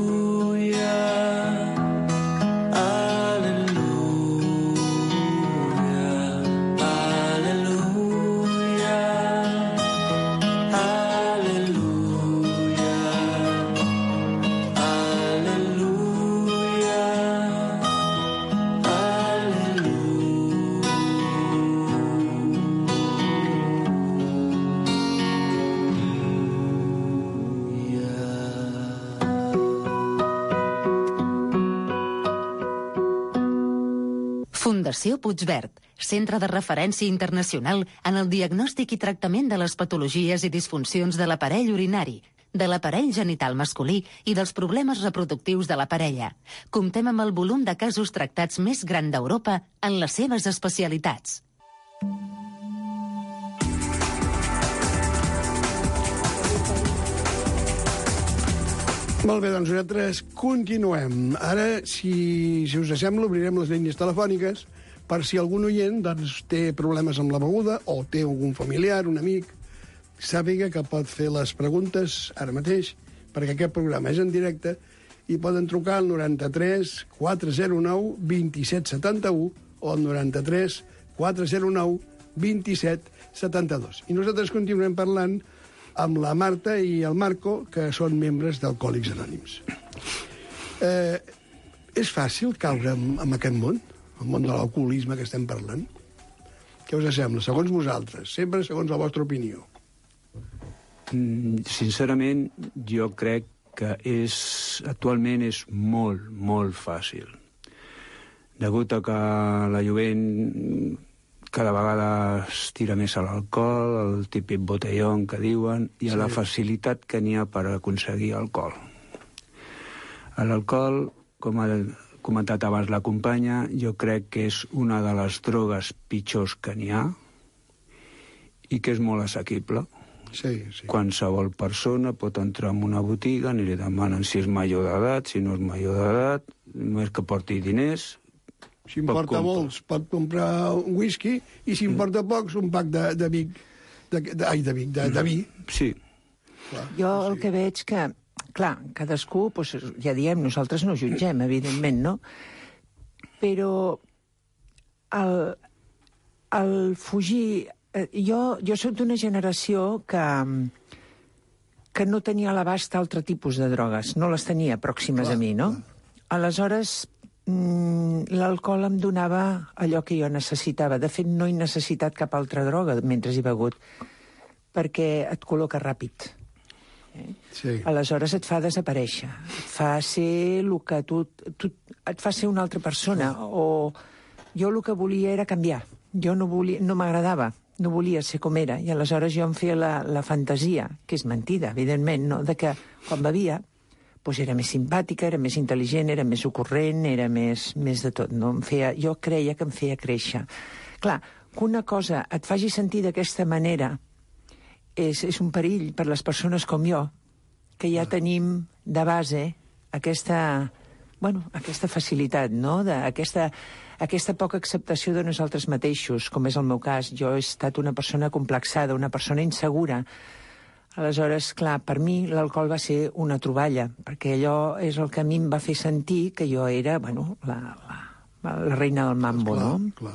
Fundació Puigverd, centre de referència internacional en el diagnòstic i tractament de les patologies i disfuncions de l'aparell urinari, de l'aparell genital masculí i dels problemes reproductius de la parella. Comptem amb el volum de casos tractats més gran d'Europa en les seves especialitats. Molt bé, doncs nosaltres continuem. Ara, si, si us sembla, obrirem les línies telefòniques per si algun oient doncs, té problemes amb la beguda o té algun familiar, un amic, sàpiga que pot fer les preguntes ara mateix, perquè aquest programa és en directe, i poden trucar al noranta-tres quatre zero nou vint set setanta-u o al noranta-tres quatre zero nou vint set setanta-dos. I nosaltres continuem parlant amb la Marta i el Marco, que són membres d'Alcohòlics Anònims. Eh, és fàcil caure en, en aquest món, el món de l'alcoholisme que estem parlant? Què us sembla, segons vosaltres? Sempre segons la vostra opinió. Mm, sincerament, jo crec que és, actualment és molt, molt fàcil. Degut a que la jovent cada vegada es tira més a l'alcohol, el típic botellón que diuen, i a sí. la facilitat que n'hi ha per aconseguir alcohol. L'alcohol, com ha comentat abans la companya, jo crec que és una de les drogues pitjors que n'hi ha i que és molt assequible. Sí, sí. Qualsevol persona pot entrar en una botiga, ni li demanen si és major d'edat, si no és major d'edat, només que porti diners. Si en porta molts, pot comprar un whisky, i si en porta pocs, un pack de, de Vic. De, de, ai, de Vic, de, de vi. Sí. Clar, jo el sí. que veig que, clar, cadascú, doncs, ja diem, nosaltres no jutgem, evidentment, no? Però el, el fugir... Jo, jo soc d'una generació que, que no tenia a l'abast altre tipus de drogues. No les tenia pròximes clar, a mi, no? Clar. Aleshores, mm, l'alcohol em donava allò que jo necessitava. De fet, no he necessitat cap altra droga mentre he begut, perquè et col·loca ràpid. Eh? Sí. Aleshores et fa desaparèixer. Et fa ser el que tu, tu... Et fa ser una altra persona. Clar. O jo el que volia era canviar. Jo no volia, no m'agradava. No volia ser com era, i aleshores jo em feia la, la fantasia, que és mentida, evidentment, no? De que quan bevia doncs era més simpàtica, era més intel·ligent, era més ocorrent, era més, més de tot. No? Em feia, jo creia que em feia créixer. Clar, que una cosa et faci sentir d'aquesta manera és, és un perill per les persones com jo, que ja tenim de base aquesta, bueno, aquesta facilitat, no? De, aquesta... aquesta poca acceptació de nosaltres mateixos, com és el meu cas. Jo he estat una persona complexada, una persona insegura. Aleshores, clar, per mi l'alcohol va ser una troballa, perquè allò és el que a mi em va fer sentir que jo era, bueno, la, la, la reina del mambo, clar, no? Clar.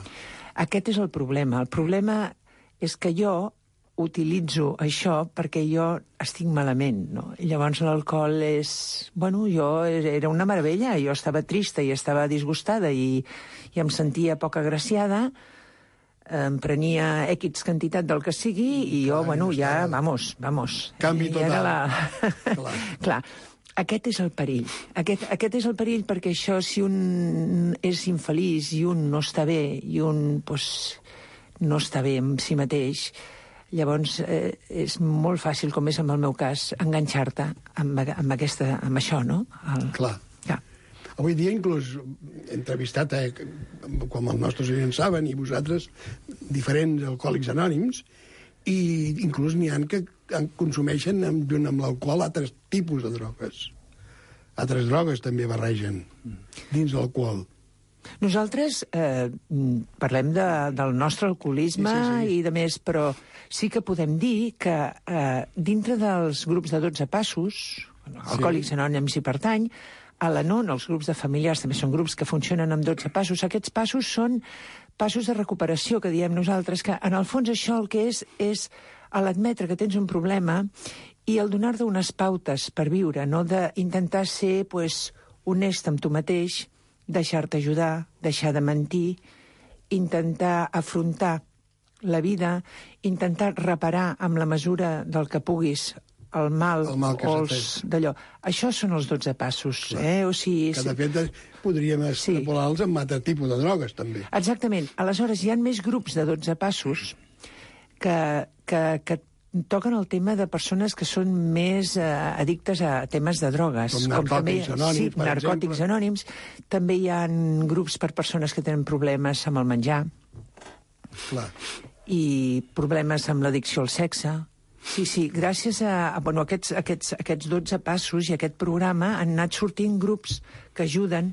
Aquest és el problema. El problema és que jo utilitzo això perquè jo estic malament, no? I llavors l'alcohol és... Bueno, jo era una meravella, jo estava trista i estava disgustada i, i em sentia poc agraciada, em prenia X quantitat del que sigui i jo, clar, bueno, ja, vamos, vamos. Canvi total. La... Clar. Clar. Aquest és el perill. Aquest, aquest és el perill perquè això, si un és infeliç i un no està bé i un, pues, no està bé amb si mateix, llavors eh, és molt fàcil, com és en el meu cas, enganxar-te amb, amb, aquesta, amb això, no? El... Clar. Ja. Avui dia inclús he entrevistat, eh, com els nostres oients saben, i vosaltres, diferents alcohòlics anònims, i inclús n'hi ha que consumeixen junt amb l'alcohol altres tipus de drogues. Altres drogues també barregen dins l'alcohol. Nosaltres eh, parlem de, del nostre alcoholisme sí, sí, sí. i de més, però sí que podem dir que eh, dintre dels grups de dotze passos, Alcohòlics sí. Anònims hi pertany, a l'Anon, els grups de familiars també són grups que funcionen amb dotze passos. Aquests passos són passos de recuperació, que diem nosaltres, que en el fons això el que és és l'admetre que tens un problema i el donar-te unes pautes per viure, no? D'intentar ser pues, honest amb tu mateix, deixar-te ajudar, deixar de mentir, intentar afrontar la vida, intentar reparar amb la mesura del que puguis el mal, el mal o els d'allò. Això són els dotze passos. Eh? O sigui, que de fet podríem extrapolar-los sí. amb altre tipus de drogues, també. Exactament. Aleshores, hi ha més grups de dotze passos que, que, que toquen el tema de persones que són més eh, addictes a temes de drogues. Com narcòtics com també, anònims, sí, per narcòtics exemple. anònims. També hi ha grups per persones que tenen problemes amb el menjar. Clar. I problemes amb l'addicció al sexe. Sí, sí, gràcies a, a bueno, aquests, aquests, aquests dotze passos i aquest programa han anat sortint grups que ajuden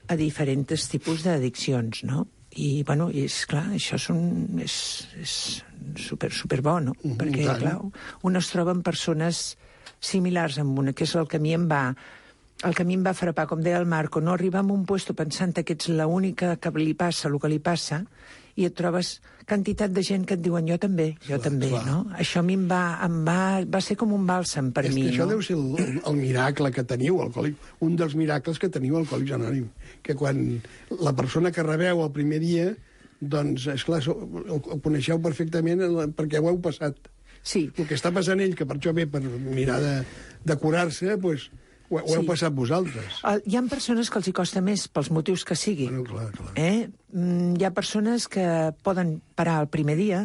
a diferents tipus d'addiccions, no? I, bueno, i és clar, això és, un, és, és super, super bo, no? Mm, perquè, tant. clar, un es troba amb persones similars amb una, que és el que a mi em va... El que a mi em va frapar, com deia el Marco, no arribar a un puesto pensant que ets l'única que li passa el que li passa i et trobes quantitat de gent que et diuen jo també, jo clar, també, clar. no? Això a mi em va, em va, va ser com un bàlsam per és mi, que això no? deu ser el, el miracle que teniu, Alcohòlic, un dels miracles que teniu Alcohòlics Anònims, que quan la persona que rebeu el primer dia, doncs, esclar, el, el coneixeu perfectament perquè ho heu passat. Sí. El que està passant ell, que per això ve per mirar de, de curar-se, doncs, ho, ho heu Sí. passat vosaltres. Uh, hi ha persones que els hi costa més, pels motius que sigui. Bueno, clar, clar. Eh? Mm, hi ha persones que poden parar el primer dia,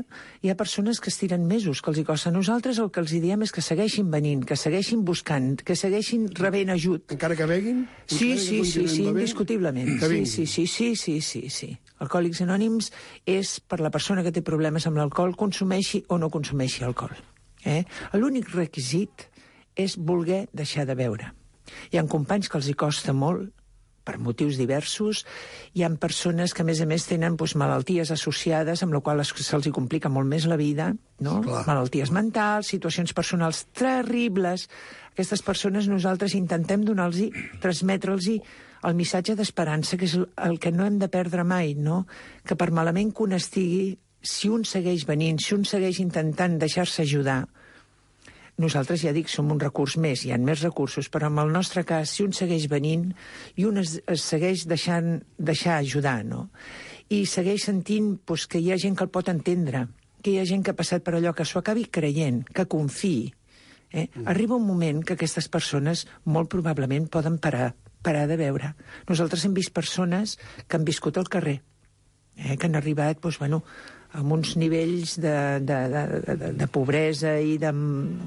hi ha persones que es tiren mesos, que els hi costa. Nosaltres el que els hi diem és que segueixin venint, que segueixin buscant, que segueixin rebent ajut. Encara que beguin? Sí, Encara sí, que sí, sí, continuïn bevent? indiscutiblement. Que Sí, vinguin. sí, sí, sí, sí, sí, sí. Alcohòlics Anònims és per la persona que té problemes amb l'alcohol, consumeixi o no consumeixi alcohol. Eh? L'únic requisit és voler deixar de beure. Hi ha companys que els hi costa molt, per motius diversos. Hi ha persones que, a més a més, tenen doncs, malalties associades, amb la qual se'ls hi complica molt més la vida, no? Clar. Malalties mentals, situacions personals terribles. Aquestes persones nosaltres intentem donar-los, transmetre'ls el missatge d'esperança, que és el que no hem de perdre mai, no? Que per malament que un estigui, si un segueix venint, si un segueix intentant deixar-se ajudar, nosaltres, ja dic, som un recurs més, hi ha més recursos, però en el nostre cas, si un segueix venint i un es, es segueix deixant, deixar ajudar, no? I segueix sentint doncs, que hi ha gent que el pot entendre, que hi ha gent que ha passat per allò, que s'ho acabi creient, que confiï. Eh? Mm. Arriba un moment que aquestes persones molt probablement poden parar, parar de veure. Nosaltres hem vist persones que han viscut al carrer, eh? que han arribat, doncs, bueno, amb uns nivells de, de, de, de, de pobresa i de,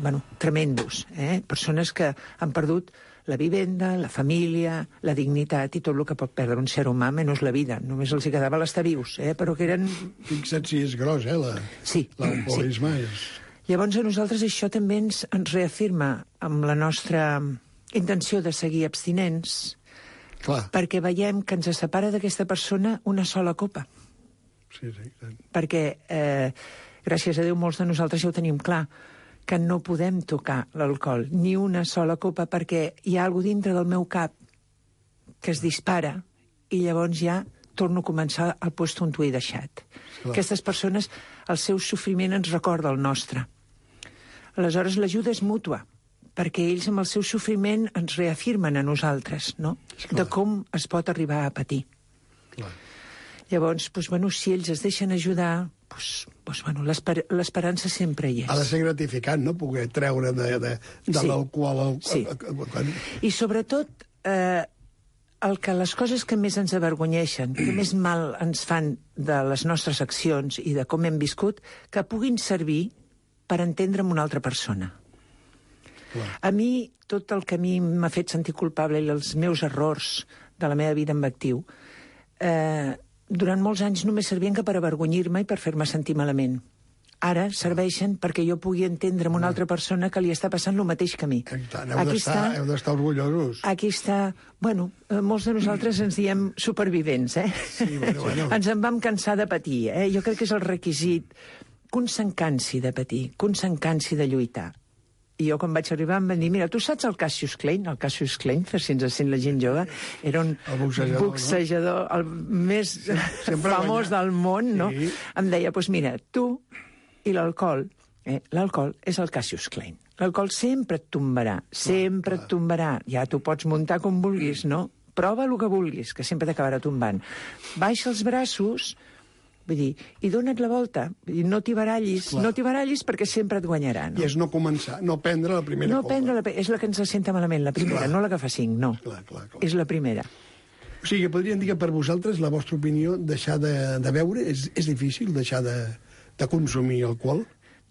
bueno, tremendos. Eh? Persones que han perdut la vivenda, la família, la dignitat i tot el que pot perdre un ser humà, menys la vida. Només els hi quedava l'estar vius, eh? Però que eren... Fixa't si és gros, eh, la, sí, l'alcoholisme. sí. És... Llavors a nosaltres això també ens, ens reafirma amb la nostra intenció de seguir abstinents, Clar. perquè veiem que ens separa d'aquesta persona una sola copa. Sí, sí, sí. Perquè, eh, gràcies a Déu, molts de nosaltres ja ho tenim clar, que no podem tocar l'alcohol, ni una sola copa, perquè hi ha alguna dintre del meu cap que es dispara i llavors ja torno a començar al lloc on ho he deixat. Clar. Aquestes persones, el seu sofriment ens recorda el nostre. Aleshores, l'ajuda és mútua, perquè ells amb el seu sofriment ens reafirmen a nosaltres, no? De com es pot arribar a patir. Clar. Llavors, doncs, bueno, si ells es deixen ajudar, doncs, doncs, bueno, l'esperança sempre hi és. Ha de ser gratificant, no?, poder treure de, de, de Sí. l'alcohol... El, Sí. Quan... I sobretot, eh, el que les coses que més ens avergonyeixen, que més mal ens fan de les nostres accions i de com hem viscut, que puguin servir per entendre'm una altra persona. Clar. A mi, tot el que a mi m'ha fet sentir culpable i els meus errors de la meva vida en actiu, eh, durant molts anys només servien que per avergonyir-me i per fer-me sentir malament. Ara serveixen perquè jo pugui entendre amb una altra persona que li està passant el mateix que a mi. Tant, heu d'estar heu d'estar orgullosos. Aquí està... Bueno, eh, molts de nosaltres ens diem supervivents, eh? Sí, bueno, bueno. Ens en vam cansar de patir, eh? Jo crec que és el requisit que un se'n cansi de patir, que un se'n cansi de lluitar. I jo, quan vaig arribar, em van dir, mira, tu saps el Cassius Clay? El Cassius Clay, per si ens sent la gent jove, era un El boxejador, boxejador, el més sempre famós guanya. del món, no? Sí. Em deia, doncs mira, tu i l'alcohol, eh, l'alcohol és el Cassius Clay. L'alcohol sempre et tombarà, sempre et tombarà. Ja t'ho pots muntar com vulguis, no? Prova el que vulguis, que sempre t'acabarà tombant. Baixa els braços, vull dir, i dona't la volta. Vull dir, no t'hi barallis, Clar. no t'hi barallis perquè sempre et guanyarà, no? I és no començar, no prendre la primera No copa. prendre la... És la que ens senta malament, la primera, Clar. no la que fa cinc, no. Clar, clar, clar. És la primera. O sigui, podríem dir que per vosaltres, la vostra opinió, deixar de, de beure, és, és difícil deixar de, de consumir alcohol?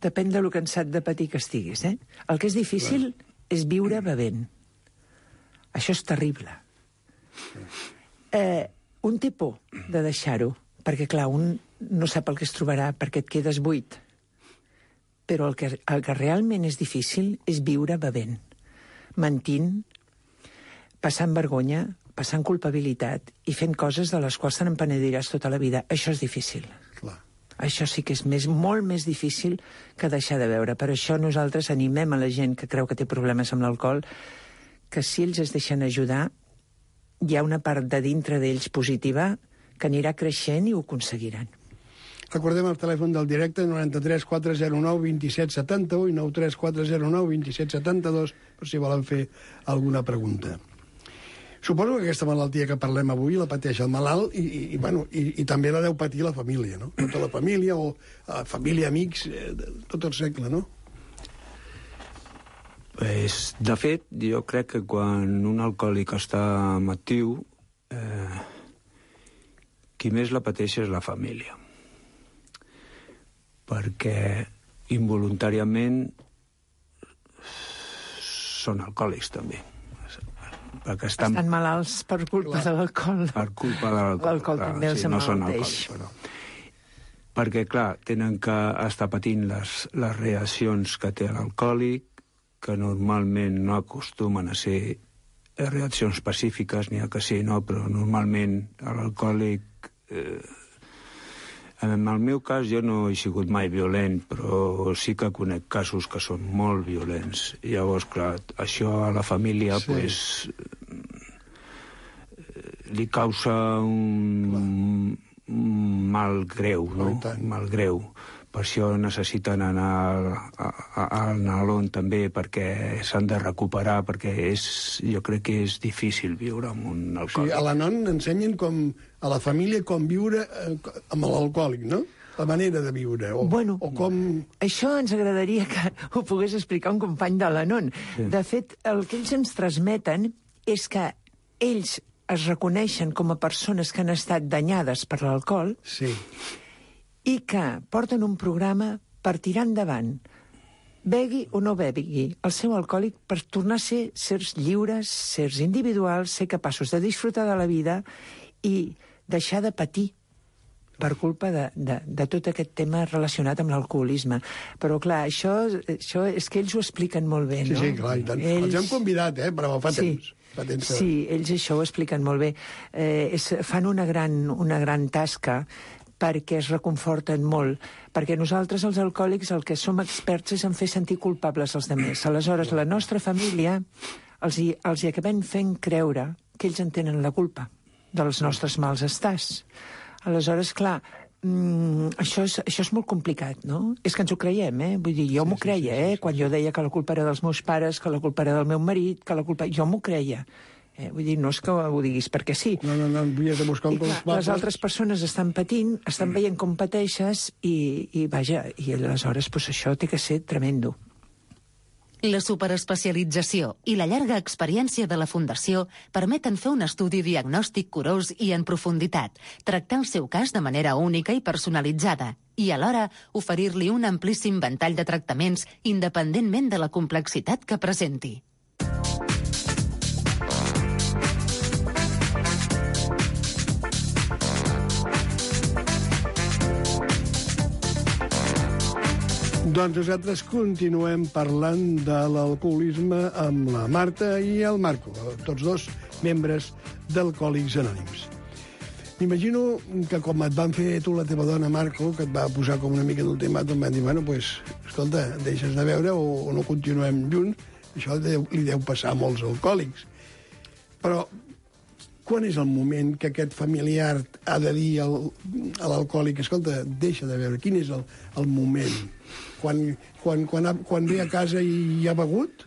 Depèn de lo cansat de patir que estiguis, eh? El que és difícil és viure bevent. Això és terrible. Eh, un té por de deixar-ho, perquè, clar, un no sap el que es trobarà, perquè et quedes buit. però el que, el que realment és difícil és viure bevent, mentint, passant vergonya, passant culpabilitat i fent coses de les quals te n'empenediràs tota la vida. Això és difícil. Clar. Això sí que és més, molt més difícil que deixar de beure. Per això nosaltres animem a la gent que creu que té problemes amb l'alcohol que si ells es deixen ajudar, hi ha una part de dintre d'ells positiva que anirà creixent i ho aconseguiran. Recordem el telèfon del directe, noranta-tres quatre zero nou vint set setanta-u i nou tres quatre zero nou vint set setanta-dos, per si volen fer alguna pregunta. Suposo que aquesta malaltia que parlem avui la pateix el malalt i, i, i, bueno, i, i també la deu patir la família, no? Tota la família o eh, família, amics, eh, tot el segle, no? Pues, de fet, jo crec que quan un alcohòlic està actiu, eh, qui més la pateix és la família. Perquè involuntàriament són alcohòlics també. Perquè estan, estan malalts per culpa de l'alcohol. Per culpa de l'alcohol. L'alcohol també els sí, no són emmalalteix. alcohòlics, però. Perquè, clar, tenen que estar patint les, les reaccions que té l'alcohòlic, que normalment no acostumen a ser reaccions pacífiques, n'hi ha que sí, no, però normalment l'alcohòlic... Eh, en el meu cas jo no he sigut mai violent, però sí que conec casos que són molt violents. Llavors, clar, això a la família sí. pues, li causa un, un mal greu, no? Un mal greu. Per això necessiten anar al Nalón també, perquè s'han de recuperar, perquè és, jo crec que és difícil viure amb un alcohòlic. Sí, a l'Anon ensenyen com, a la família com viure eh, amb l'alcohòlic, no? La manera de viure, o, bueno, o com... Això ens agradaria que ho pogués explicar un company de l'Anon. Sí. De fet, el que ells ens transmeten és que ells es reconeixen com a persones que han estat danyades per l'alcohol, sí. i que porten un programa per tirar endavant, begui o no begui, el seu alcohòlic per tornar a ser sers lliures, sers individuals, ser capaços de disfrutar de la vida i deixar de patir per culpa de, de, de tot aquest tema relacionat amb l'alcoholisme. Però, clar, això, això és que ells ho expliquen molt bé, no? Sí, sí, clar, i tant. Ells... Els hem convidat, eh, però fa sí. temps. Fa temps que... Sí, ells això ho expliquen molt bé. Eh, és, fan una gran, una gran tasca perquè es reconforten molt, perquè nosaltres, els alcohòlics, el que som experts és en fer sentir culpables els altres. Aleshores, la nostra família els hi, els hi acabem fent creure que ells en tenen la culpa dels nostres mals estats. Aleshores, clar, mm, això, és, això és molt complicat, no? És que ens ho creiem, eh? Vull dir, jo sí, m'ho creia, sí, sí, eh? Sí, sí. Quan jo deia que la culpa era dels meus pares, que la culpa era del meu marit, que la culpa... Jo m'ho creia. Eh, vull dir, no és que ho diguis perquè sí. No, no, no, havies de buscar un clar, les altres persones estan patint, estan veient com pateixes i, i vaja, i aleshores pues, això té que ser tremendo. La superespecialització i la llarga experiència de la Fundació permeten fer un estudi diagnòstic curós i en profunditat, tractar el seu cas de manera única i personalitzada i alhora oferir-li un amplíssim ventall de tractaments independentment de la complexitat que presenti. Doncs nosaltres continuem parlant de l'alcoholisme amb la Marta i el Marco, tots dos membres d'Alcohòlics Anònims. M'imagino que com et van fer tu la teva dona, Marco, que et va posar com una mica d'ultimàtum, van dir, bueno, pues, escolta, deixes de beure o, o no continuem junts, això deu, li deu passar a molts alcohòlics. Però quan és el moment que aquest familiar ha de dir al, a l'alcohòlic, escolta, deixa de beure? Quin és el, el moment? Quan, quan, quan, ha, quan ve a casa i ha begut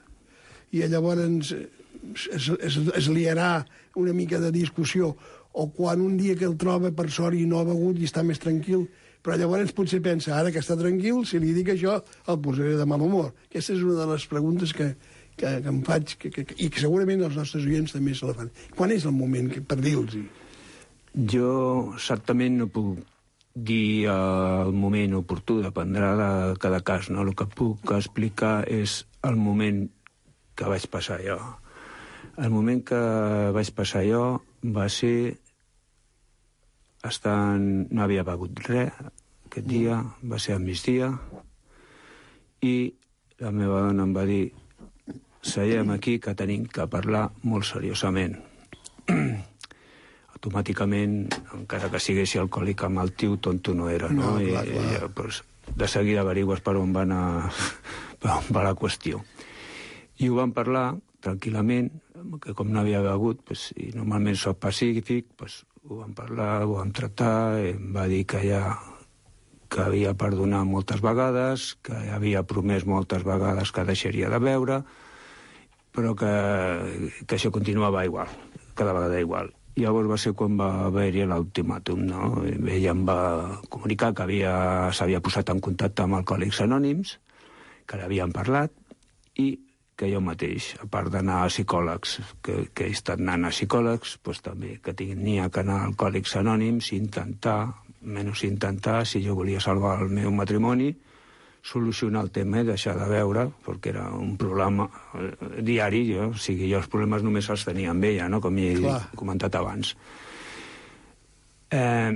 i llavors es, es, es liarà una mica de discussió, o quan un dia que el troba per sort i no ha begut i està més tranquil, però llavors potser pensa, ara que està tranquil, si li dic això, el posaré de mal humor. Aquesta és una de les preguntes que, que, que em faig, que, que, i que segurament els nostres oients també se la fan. Quan és el moment que, per dir-los-hi? Jo exactament no puc dir el moment oportú, dependrà de cada cas, no? El que puc explicar és el moment que vaig passar jo. El moment que vaig passar jo va ser estant... no havia begut res aquest dia, va ser al migdia, I la meva dona em va dir, seiem aquí que tenim que parlar molt seriosament. Automàticament, encara que siguessi alcohòlic amb el tio, tonto no era, no? No, clar, I, clar. I, pues, de seguida averigues per on va anar per on va la qüestió. I ho vam parlar tranquil·lament, que com no havia begut, pues, i normalment soc pacífic, pues, ho vam parlar, ho vam tractar, em va dir que ja que havia perdonat moltes vegades, que havia promès moltes vegades que deixaria de beure, però que, que això continuava igual, cada vegada igual. I llavors va ser quan va haver-hi l'ultimàtum, no? Ella em va comunicar que havia, s'havia posat en contacte amb Alcohòlics Anònims, que l'havien parlat, i que jo mateix, a part d'anar a psicòlegs, que, que he estat anant a psicòlegs, doncs també que tenia que anar a Alcohòlics Anònims i intentar, menys intentar, si jo volia salvar el meu matrimoni, solucionar el tema i deixar de beure, perquè era un problema diari, jo, o sigui, jo els problemes només els tenia amb ella, no? Com he Clar. comentat abans. Eh,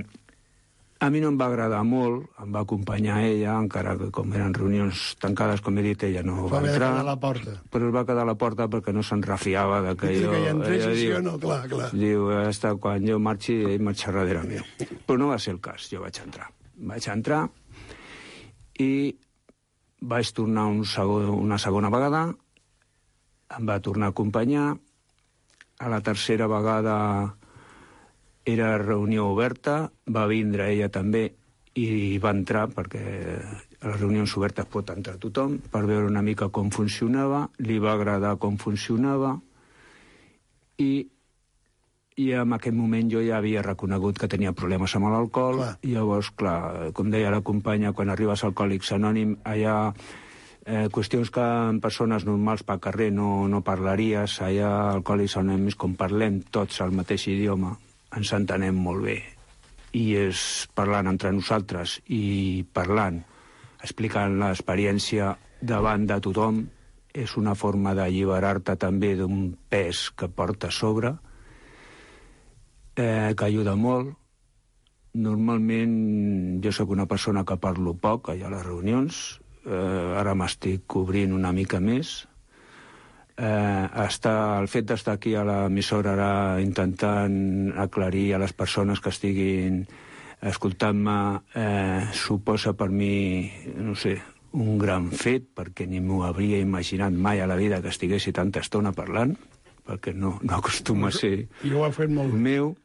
a mi no em va agradar molt, em va acompanyar ella, encara que com eren reunions tancades, com he dit, ella no va, Va haver de entrar. quedar a la porta. Però es va quedar a la porta perquè no se'n refiava de que Diu jo... que hi entrés ella i sí diu- o no, clar, clar. Diu, hasta quan jo marxi, ell marxa darrere meu. Però no va ser el cas, jo vaig entrar. Vaig entrar i vaig tornar un segon, una segona vegada, em va tornar a acompanyar, a la tercera vegada era reunió oberta, va vindre ella també i va entrar, perquè a les reunions obertes pot entrar tothom, per veure una mica com funcionava, li va agradar com funcionava, i, i en aquell moment jo ja havia reconegut que tenia problemes amb l'alcohol, Clar. i llavors, clar, com deia la companya, quan arribes a Alcohòlics Anònims, allà eh, qüestions que en persones normals pel carrer no, no parlaries, allà a Alcohòlics Anònims, com parlem tots el mateix idioma, ens entenem molt bé. I és parlant entre nosaltres i parlant, explicant l'experiència davant de tothom, és una forma d'alliberar-te també d'un pes que porta a sobre, eh, que ajuda molt. Normalment jo sóc una persona que parlo poc allà a les reunions, eh, ara m'estic cobrint una mica més. Eh, està, el fet d'estar aquí a l'emissora ara intentant aclarir a les persones que estiguin escoltant-me eh, suposa per mi, no sé, un gran fet, perquè ni m'ho hauria imaginat mai a la vida que estiguessi tanta estona parlant, perquè no, no acostuma a ser I ho ha fet molt bé. meu,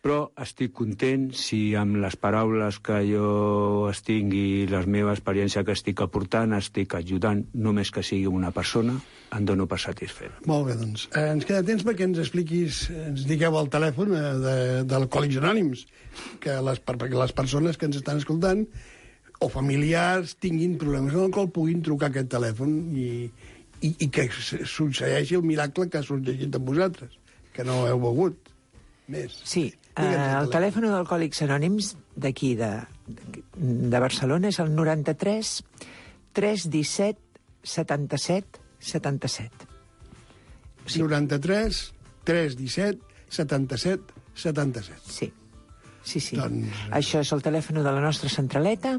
però estic content si amb les paraules que jo estic i la meva experiència que estic aportant estic ajudant només que sigui una persona, em dono per satisfet. Molt bé, doncs. Eh, ens queda temps perquè ens expliquis, ens digueu el telèfon eh, de, d'Alcohòlics Anònims, que les, perquè les persones que ens estan escoltant o familiars tinguin problemes amb l'alcohol puguin trucar a aquest telèfon i, i, i que succeeixi el miracle que ha succeït amb vosaltres, que no heu begut més. Sí, eh, Digue'ns el telèfon d'Alcohòlics Anònims d'aquí, de, de Barcelona, és el noranta-tres tres disset setanta-set setanta-set. Sí. noranta-tres tres disset setanta-set setanta-set. Sí, sí, sí. Doncs... Això és el telèfon de la nostra centraleta.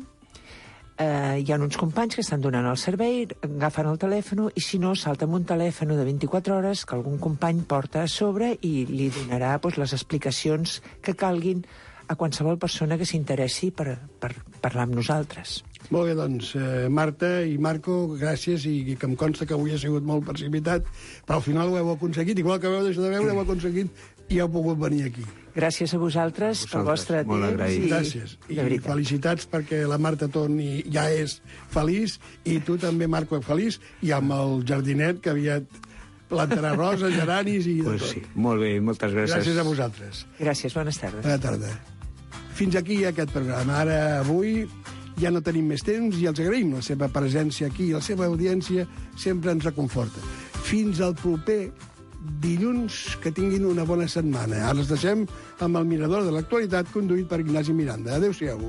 Eh, hi ha uns companys que estan donant el servei, agafen el telèfon i si no, salta amb un telèfon de vint-i-quatre hores que algun company porta a sobre i li donarà doncs, les explicacions que calguin a qualsevol persona que s'interessi per, per parlar amb nosaltres. Molt bé, doncs, eh, Marta i Marco, gràcies, i que em consta que avui ha sigut molt precipitat, però al final ho heu aconseguit, igual que heu deixat de veure, heu aconseguit i heu pogut venir aquí. Gràcies a vosaltres, A pel vosaltres, vostre molt temps. agraït. I, Gràcies. I de veritat. felicitats perquè la Marta torni, ja és feliç, i tu també, Marco, feliç, i amb el jardinet que aviat plantarà roses, geranis i de Pues tot. sí, molt bé, moltes gràcies. Gràcies a vosaltres. Gràcies, bones tardes. Bona tarda. Fins aquí aquest programa. Ara, avui, ja no tenim més temps i els agraïm la seva presència aquí i la seva audiència sempre ens reconforta. Fins al proper dilluns, que tinguin una bona setmana. Ara els deixem amb el Mirador de l'Actualitat, conduït per Ignasi Miranda. Adéu-siau.